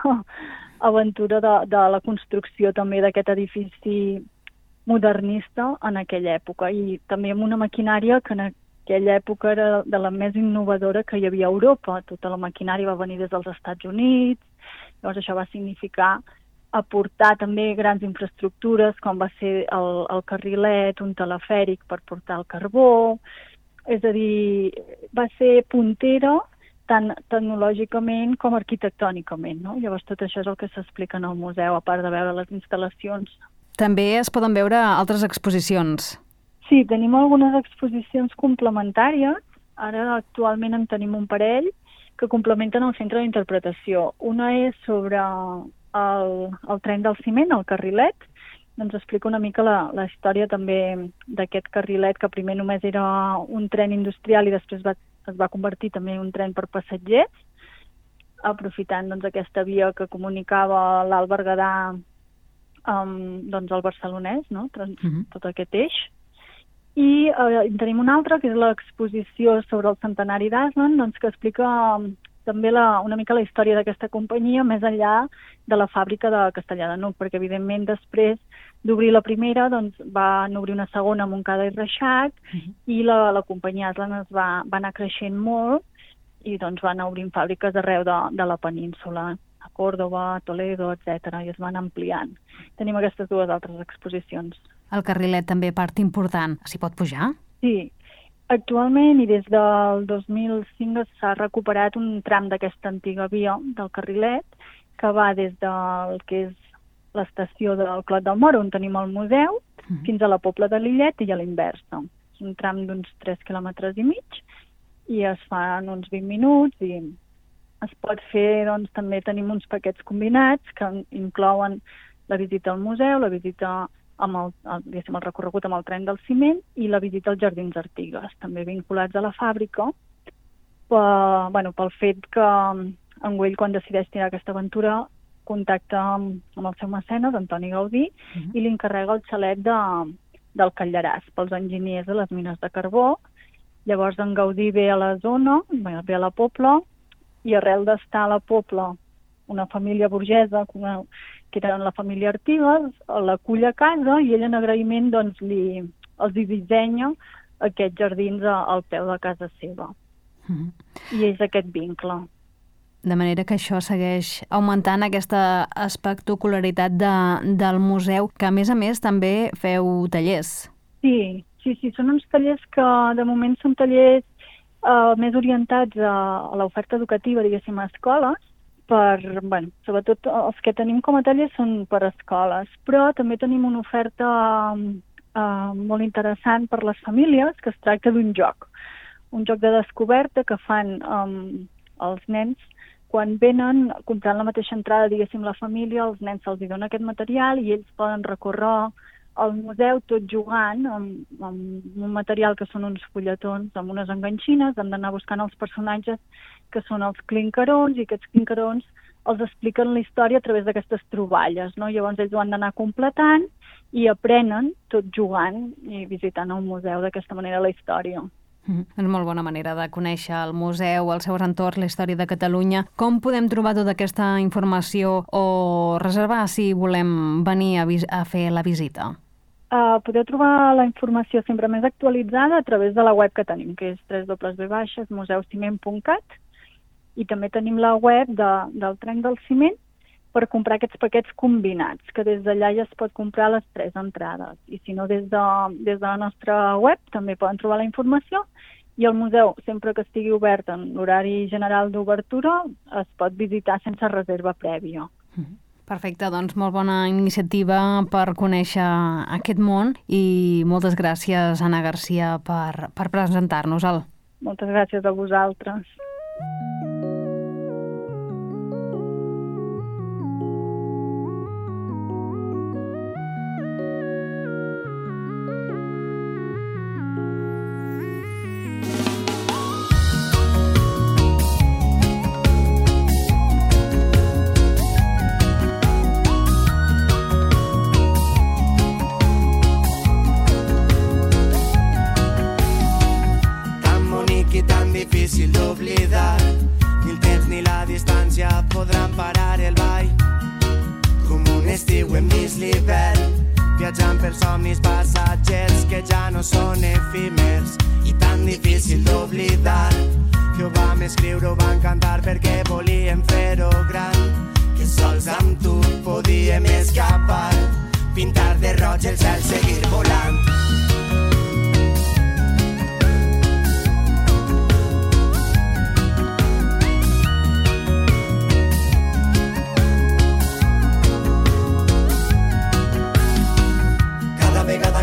Speaker 7: aventura de, de la construcció també d'aquest edifici modernista en aquella època i també amb una maquinària que en aquella època era de la més innovadora que hi havia a Europa. Tota la maquinària va venir des dels Estats Units, llavors això va significar aportar també grans infraestructures, com va ser el, el carrilet, un telefèric per portar el carbó. És a dir, va ser puntera tant tecnològicament com arquitectònicament, no? Llavors tot això és el que s'explica en el museu, a part de veure les instal·lacions.
Speaker 1: També es poden veure altres exposicions.
Speaker 7: Sí, tenim algunes exposicions complementàries. Ara actualment en tenim un parell que complementen el centre d'interpretació. Una és sobre El, el tren del ciment, el carrilet, doncs explica una mica la, la història també d'aquest carrilet, que primer només era un tren industrial i després va, es va convertir també en un tren per passatgers, aprofitant doncs, aquesta via que comunicava l'Alt Berguedà amb doncs, el barcelonès, no? Trans, uh-huh. tot aquest eix. I eh, tenim una altra, que és l'exposició sobre el centenari d'Aslan, doncs, que explica um, també la, una mica la història d'aquesta companyia més enllà de la fàbrica de Castellar de N'Hug, perquè evidentment després d'obrir la primera doncs, van obrir una segona a Montcada i Reixac, uh-huh. i la, la companyia Aslan es va, va anar creixent molt i doncs, va anar obrint fàbriques arreu de, de la península, a Còrdova, Toledo, etcètera, i es van ampliant. Tenim aquestes dues altres exposicions.
Speaker 1: El carrilet també part important. S'hi pot pujar?
Speaker 7: Sí. Actualment i des del dos mil cinc s'ha recuperat un tram d'aquesta antiga via del carrilet que va des del que és l'estació del Clot del Moro, on tenim el museu, uh-huh. fins a la Pobla de Lillet i a l'inversa. És un tram d'uns tres quilòmetres i mig i es fa en uns vint minuts i es pot fer, doncs també tenim uns paquets combinats que inclouen la visita al museu, la visita amb el, el, el recorregut amb el tren del ciment i la visita als Jardins Artigues, també vinculats a la fàbrica, per, bueno, pel fet que en Güell, quan decideix tirar aquesta aventura, contacta amb, amb el seu mecenes, Antoni Gaudí, uh-huh. i li encarrega el xalet de, del Callaràs pels enginyers de les mines de carbó. Llavors en Gaudí ve a la zona, ve a la Pobla, i arrel d'estar a la Pobla una família burgesa, una, que era la família Artigues, l'acull a casa i ell en agraïment doncs, li, els dissenya aquests jardins a, al peu de casa seva. Mm-hmm. I és aquest vincle.
Speaker 1: De manera que això segueix augmentant aquesta espectacularitat de, del museu, que a més a més també feu tallers.
Speaker 7: Sí, sí, sí, són uns tallers que de moment són tallers Uh, més orientats a, a l'oferta educativa, diguéssim, a escoles, per, bueno, sobretot els que tenim com a tallers són per escoles, però també tenim una oferta uh, molt interessant per les famílies, que es tracta d'un joc, un joc de descoberta que fan um, els nens quan venen comprant la mateixa entrada, diguéssim, la família, els nens se'ls dona aquest material i ells poden recórrer al museu tot jugant amb, amb un material que són uns fulletons amb unes enganxines, hem d'anar buscant els personatges que són els clincarons i aquests clincarons els expliquen la història a través d'aquestes troballes, no? Llavors ells ho han d'anar completant i aprenen tot jugant i visitant el museu d'aquesta manera la història.
Speaker 1: Mm, és molt bona manera de conèixer el museu, els seus entorns, la història de Catalunya. Com podem trobar tota aquesta informació o reservar si volem venir a, a fer la visita?
Speaker 7: Uh, podeu trobar la informació sempre més actualitzada a través de la web que tenim, que és w w w punt museu ciment punt cat, i també tenim la web de, del Tren del Ciment per comprar aquests paquets combinats, que des d'allà ja es pot comprar les tres entrades. I si no, des de, des de la nostra web també poden trobar la informació i el museu, sempre que estigui obert en l'horari general d'obertura, es pot visitar sense reserva prèvia.
Speaker 1: Mm-hmm. Perfecte, doncs molt bona iniciativa per conèixer aquest món i moltes gràcies, Anna Garcia, per, per presentar-nos-el.
Speaker 7: Moltes gràcies a vosaltres.
Speaker 5: Difícil d'oblidar, ni el temps ni la distància podran parar el ball. Com un estiu hem vist l'hivern, viatjant per somnis passatgers que ja no són efímers. I tan difícil d'oblidar que ho vam escriure, ho vam cantar perquè volíem fer-ho gran, que sols amb tu podíem escapar, pintar de roig el cel, seguir volant.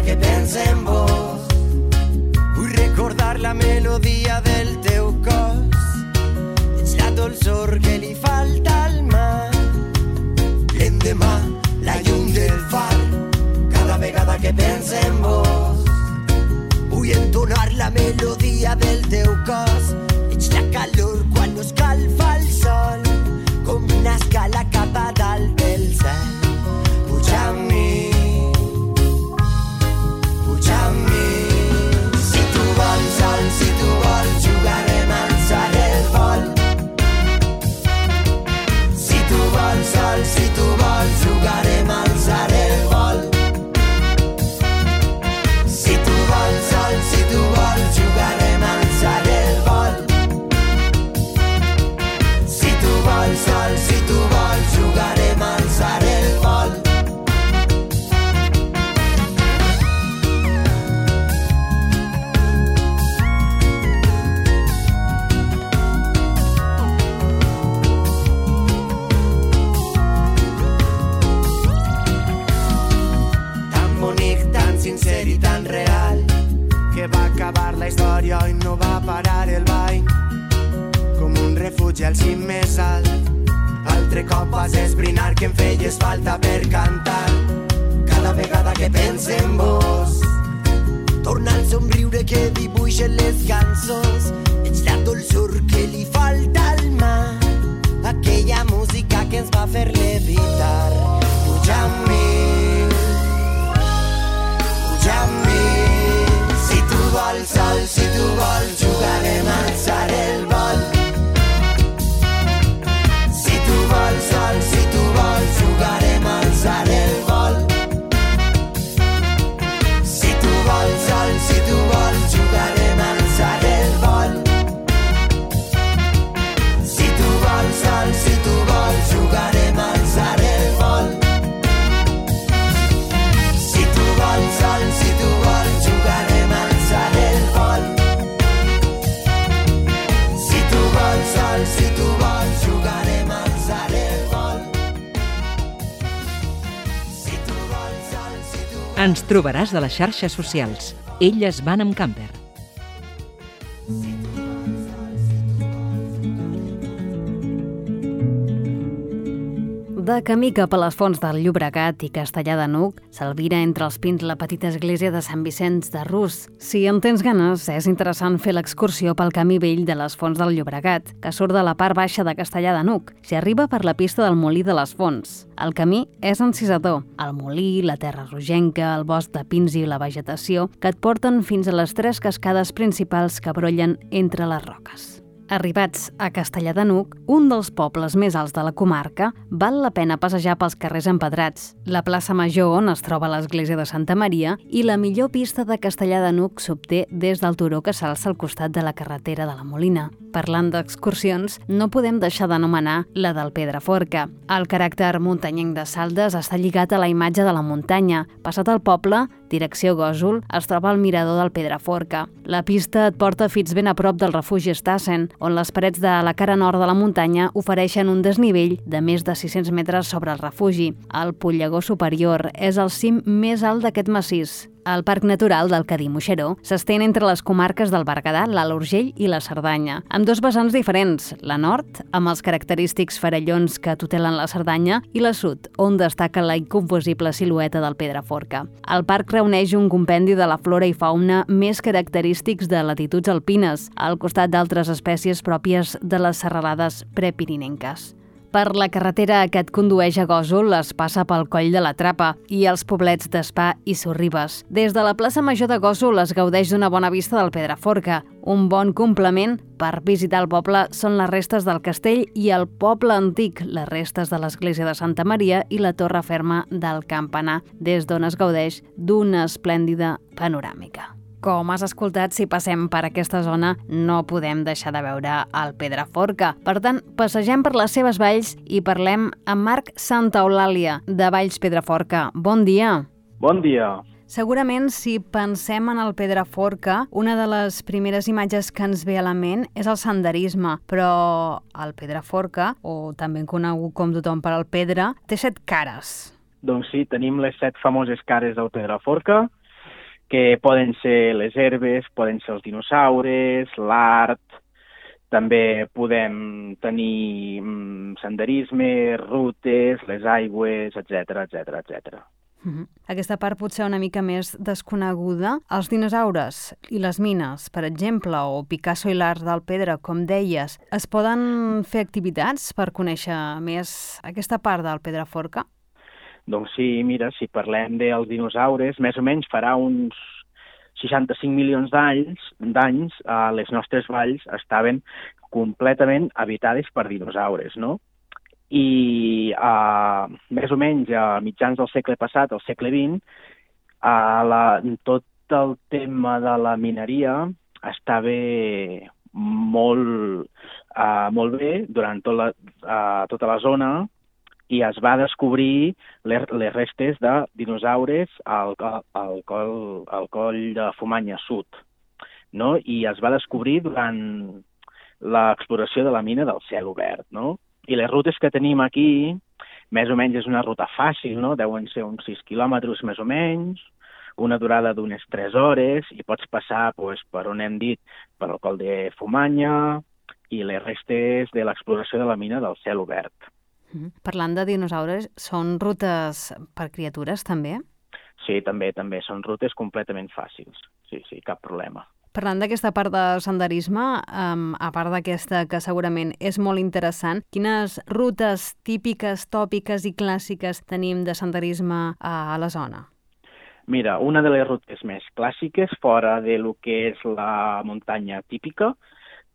Speaker 5: Que penso en vos, vull recordar la melodia del teu cos, ets la dolçor que li falta al mar, l'endemà la llum del far
Speaker 8: la melodia del teu cos. Ets la calor quan no escalfa el sol, com una escala cap a dalt del cel. Puja amb mi, puja amb mi. Si tu vols sol, si tu vols, jugarem a alçar el vol. Si tu vols sol, si tu vols, jugarem a alçar el vol. Si tu vols sol, si tu vols, jugarem a alçar el vol. Si tu vols sol, si tu vols, jugarem a alçar el vol. Tan bonic, tan sincer i tan real, que va acabar la història i no va parar el ball. Com un refugi al cim més alt, altre cop vas esbrinar que em feies falta per cantar. Cada vegada que pense en vos, torna el somriure que dibuixen les cançons. Ets la dolçor que li falta al mar, aquella música que ens va fer levitar. Puja amb mi, puja amb mi. Si tu vols sol, si tu vols, jugarem a alçar el vol. Si tu vols sol, si tu vols, jugarem a alçar el vol. Si tu vols sol, si tu vols, jugarem a alçar el vol. Si tu vols sol, si tu vols, jugarem a alçar el vol. Si tu vols sol, si tu vols, jugarem a alçar el vol. Si tu vols sol, si tu vols, jugarem a alçar el vol. Si tu vols sol, si tu vols...
Speaker 3: Ens trobaràs a les xarxes socials. Elles van amb camper.
Speaker 1: De camí cap a les fonts del Llobregat i Castellar de n'Hug, s'albira entre els pins la petita església de Sant Vicenç de Rus. Si en tens ganes, és interessant fer l'excursió pel camí vell de les fonts del Llobregat, que surt de la part baixa de Castellar de n'Hug. S'hi arriba per la pista del Molí de les Fonts. El camí és encisador. El molí, la terra rogenca, el bosc de pins i la vegetació que et porten fins a les tres cascades principals que brollen entre les roques. Arribats a Castellar de n'Hug, un dels pobles més alts de la comarca, val la pena passejar pels carrers empedrats, la plaça Major on es troba l'església de Santa Maria i la millor pista de Castellar de n'Hug s'obté des del turó que s'alça al costat de la carretera de la Molina. Parlant d'excursions, no podem deixar d'anomenar la del Pedraforca. El caràcter muntanyenc de Saldes està lligat a la imatge de la muntanya. Passat el poble, direcció Gósol, es troba el mirador del Pedraforca. La pista et porta fins ben a prop del refugi Stassen, on les parets de la cara nord de la muntanya ofereixen un desnivell de més de sis-cents metres sobre el refugi. El Pollegó Superior és el cim més alt d'aquest massís. El Parc Natural del Cadí-Moixeró s'estén entre les comarques del Berguedà, l'Alt Urgell i la Cerdanya, amb dos vessants diferents, la nord, amb els característics farallons que tutelen la Cerdanya, i la sud, on destaca la inconfusible silueta del Pedraforca. El parc reuneix un compendi de la flora i fauna més característics de latituds alpines, al costat d'altres espècies pròpies de les serralades prepirinenques. Per la carretera que et condueix a Gósol es passa pel Coll de la Trapa i els poblets d'Espà i Sorribes. Des de la plaça Major de Gósol es gaudeix d'una bona vista del Pedraforca. Un bon complement per visitar el poble són les restes del castell i el poble antic, les restes de l'església de Santa Maria i la torre ferma del campanar, des d'on es gaudeix d'una esplèndida panoràmica. Com has escoltat, si passem per aquesta zona no podem deixar de veure el Pedraforca. Per tant, passegem per les seves valls i parlem amb Marc Santa Eulàlia, de Valls Pedraforca. Bon dia.
Speaker 9: Bon dia.
Speaker 1: Segurament, si pensem en el Pedraforca, una de les primeres imatges que ens ve a la ment és el senderisme, però el Pedraforca, o també conegut com tothom per al Pedra, té set cares.
Speaker 9: Doncs sí, tenim les set famoses cares del Pedraforca, que poden ser les herbes, poden ser els dinosaures, l'art, també podem tenir mm, senderisme, rutes, les aigües, etcètera, etcètera, etcètera.
Speaker 1: Uh-huh. Aquesta part potser una mica més desconeguda. Els dinosaures i les mines, per exemple, o Picasso i l'art del pedra, com deies, es poden fer activitats per conèixer més aquesta part del Pedraforca?
Speaker 9: Doncs sí, mira, si parlem dels dinosaures, més o menys farà uns seixanta-cinc milions d'anys, d'anys eh, les nostres valls estaven completament habitades per dinosaures, no? I uh, més o menys a mitjans del segle passat, al segle vint, uh, la, tot el tema de la mineria estava molt, uh, molt bé durant tot la, uh, tota la zona i es va descobrir les, les restes de dinosaures al, al, coll, al coll de Fumanya Sud, no? I es va descobrir durant l'exploració de la mina del cel obert, no? I les rutes que tenim aquí, més o menys és una ruta fàcil, no? Deuen ser uns sis quilòmetres més o menys, una durada d'unes tres hores, i pots passar pues, per on hem dit, per el coll de Fumanya i les restes de l'exploració de la mina del cel obert.
Speaker 1: Mm. Parlant de dinosaures, són rutes per criatures també?
Speaker 9: Sí, també, també. Són rutes completament fàcils. Sí, sí, cap problema.
Speaker 1: Parlant d'aquesta part de senderisme, um, a part d'aquesta que segurament és molt interessant, quines rutes típiques, tòpiques i clàssiques tenim de senderisme a, a la zona?
Speaker 9: Mira, una de les rutes més clàssiques, fora de lo que és la muntanya típica,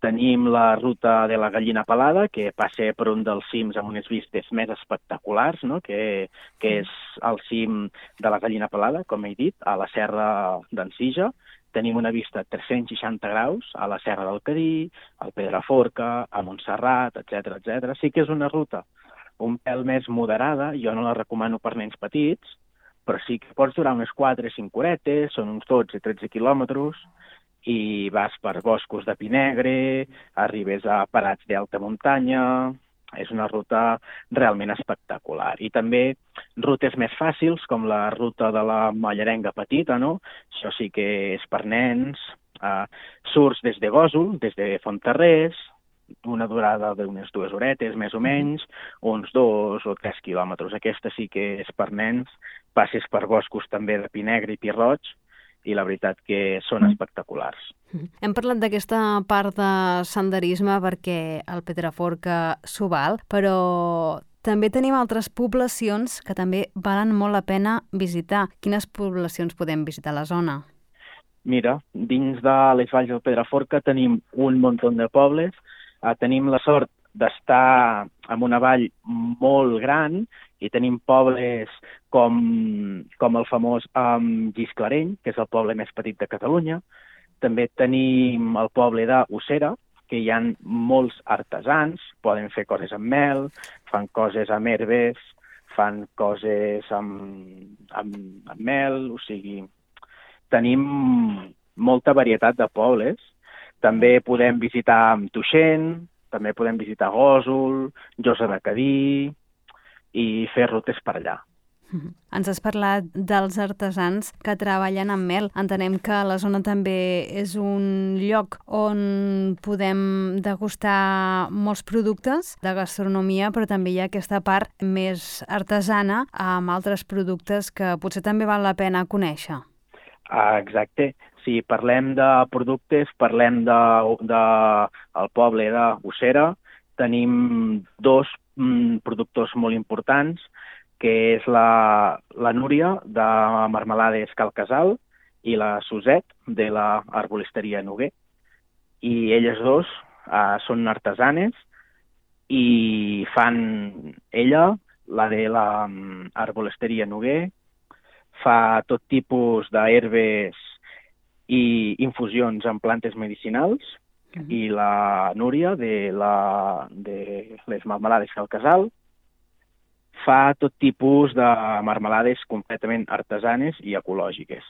Speaker 9: tenim la ruta de la Gallina Pelada, que passa per un dels cims amb unes vistes més espectaculars, no? que, que és el cim de la Gallina Pelada, com he dit, a la serra d'Ensija. Tenim una vista a tres-cents seixanta graus a la Serra del Cadí, al Pedraforca, a Montserrat, etcètera, etcètera. Sí que és una ruta un pèl més moderada, jo no la recomano per nens petits, però sí que pots durar unes quatre o cinc horetes, són uns dotze o tretze quilòmetres, i vas per boscos de pi negre, arribes a parats d'alta muntanya. És una ruta realment espectacular. I també rutes més fàcils, com la ruta de la Mallarenga Petita, no? Això sí que és per nens. Uh, surts des de Gósol, des de Fontarrés, una durada d'unes dues horetes, més o menys, uns dos o tres quilòmetres. Aquesta sí que és per nens. Passes per boscos també de pi negre i pi roig, i la veritat que són espectaculars.
Speaker 1: Hem parlat d'aquesta part de senderisme perquè el Pedraforca s'ho val, però també tenim altres poblacions que també valen molt la pena visitar. Quines poblacions podem visitar a la zona?
Speaker 9: Mira, dins de les valls del Pedraforca tenim un munt de pobles. Uh, tenim la sort d'estar en una vall molt gran i tenim pobles com, com el famós um, Gisclareny, que és el poble més petit de Catalunya. També tenim el poble d'Ossera, que hi ha molts artesans, poden fer coses amb mel, fan coses amb herbes, fan coses amb, amb, amb mel, o sigui, tenim molta varietat de pobles. També podem visitar Tuixén, també podem visitar Gósol, Josa de Cadí i fer rutes per allà.
Speaker 1: Ens has parlat dels artesans que treballen amb mel. Entenem que la zona també és un lloc on podem degustar molts productes de gastronomia, però també hi ha aquesta part més artesana amb altres productes que potser també val la pena conèixer.
Speaker 9: Ah, exacte. Si parlem de productes, parlem de, de el poble d'Ossera. Tenim dos mm, productors molt importants, que és la, la Núria, de Marmelades Cal Casal, i la Suset, de la Arbolisteria Noguer. I elles dos uh, són artesanes i fan ella, la de la um, Arbolisteria Noguer, fa tot tipus d'herbes i infusions en plantes medicinals, uh-huh. i la Núria, de, la, de les Marmelades Cal Casal, fa tot tipus de marmelades completament artesanes i ecològiques.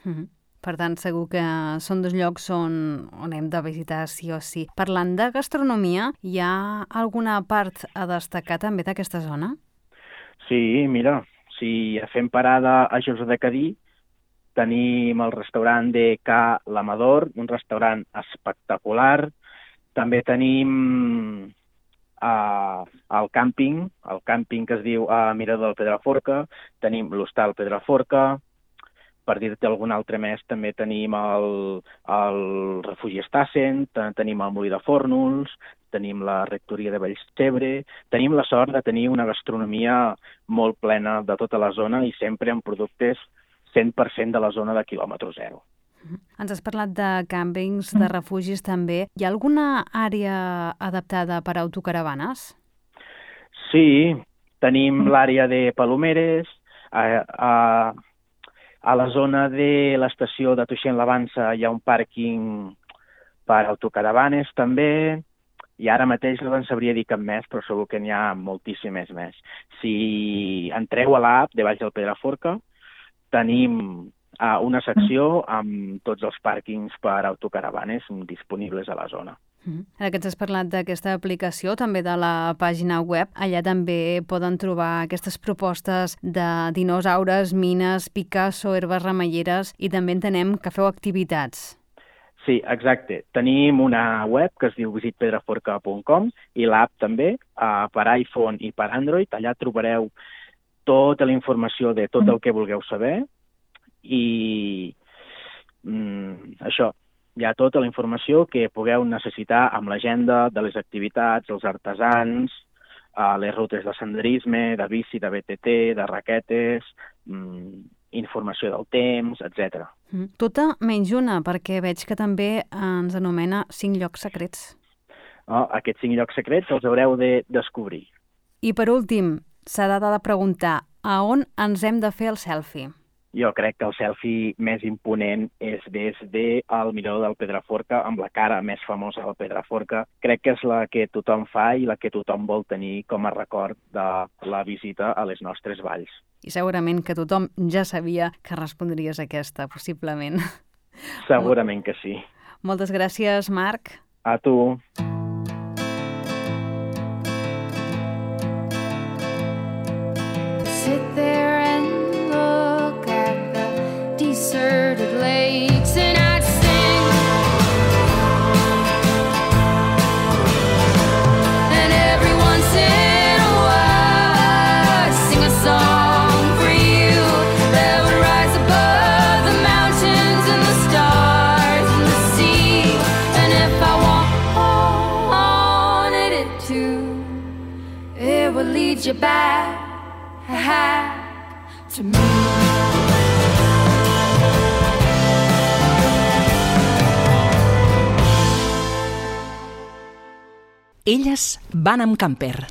Speaker 1: Uh-huh. Per tant, segur que són dos llocs on, on hem de visitar sí o sí. Parlant de gastronomia, hi ha alguna part a destacar també d'aquesta zona?
Speaker 9: Sí, mira, si fem parada a Josa de Cadí, tenim el restaurant de Ca l'Amador, un restaurant espectacular. També tenim Uh, al càmping, el càmping que es diu uh, Mirador del Pedraforca, tenim l'hostal Pedraforca, per dir-te algun altre més, també tenim el, el refugi Estassen, tenim el Molí de Fórnols, tenim la rectoria de Vallcebre, tenim la sort de tenir una gastronomia molt plena de tota la zona i sempre amb productes cent per cent de la zona de quilòmetre zero.
Speaker 1: Ens has parlat de càmpings, de refugis també. Hi ha alguna àrea adaptada per a autocaravanes?
Speaker 9: Sí, tenim l'àrea de Palomeres, a, a, a la zona de l'estació de Tuixén-la-Vansa hi ha un pàrquing per autocaravanes també, i ara mateix no en sabria dir cap més, però segur que n'hi ha moltíssimes més. Si entreu a l'app de Baix del Pedraforca, tenim a una secció amb tots els pàrquings per autocaravanes disponibles a la zona.
Speaker 1: Ara que ens has parlat d'aquesta aplicació, també de la pàgina web, allà també poden trobar aquestes propostes de dinosaures, mines, Picasso, herbes remeieres i també entenem que feu activitats.
Speaker 9: Sí, exacte. Tenim una web que es diu visit pedraforca punt com i l'app també, uh, per iPhone i per Android. Allà trobareu tota la informació de tot el que vulgueu saber i mm, això, hi ha tota la informació que pugueu necessitar amb l'agenda de les activitats, els artesans, uh, les rutes de senderisme, de bici, de B T T, de raquetes, mm, informació del temps, etcètera.
Speaker 1: Mm. Tota menys una, perquè veig que també ens anomena cinc llocs secrets.
Speaker 9: Oh, aquests cinc llocs secrets els haureu de descobrir.
Speaker 1: I per últim, s'ha de preguntar a on ens hem de fer el selfie?
Speaker 9: Jo crec que el selfie més imponent és des del Mirador del Pedraforca, amb la cara més famosa del Pedraforca. Crec que és la que tothom fa i la que tothom vol tenir com a record de la visita a les nostres valls.
Speaker 1: I segurament que tothom ja sabia que respondries a aquesta, possiblement.
Speaker 9: Segurament que sí.
Speaker 1: Moltes gràcies, Marc.
Speaker 9: A tu.
Speaker 2: Sit there and look at the deserted lakes and I'd sing. And every once in a while I'd sing a song for you that would rise above the mountains and the stars and the sea. And if I wanted it to, it would lead you back to me.
Speaker 3: Elles van amb camper.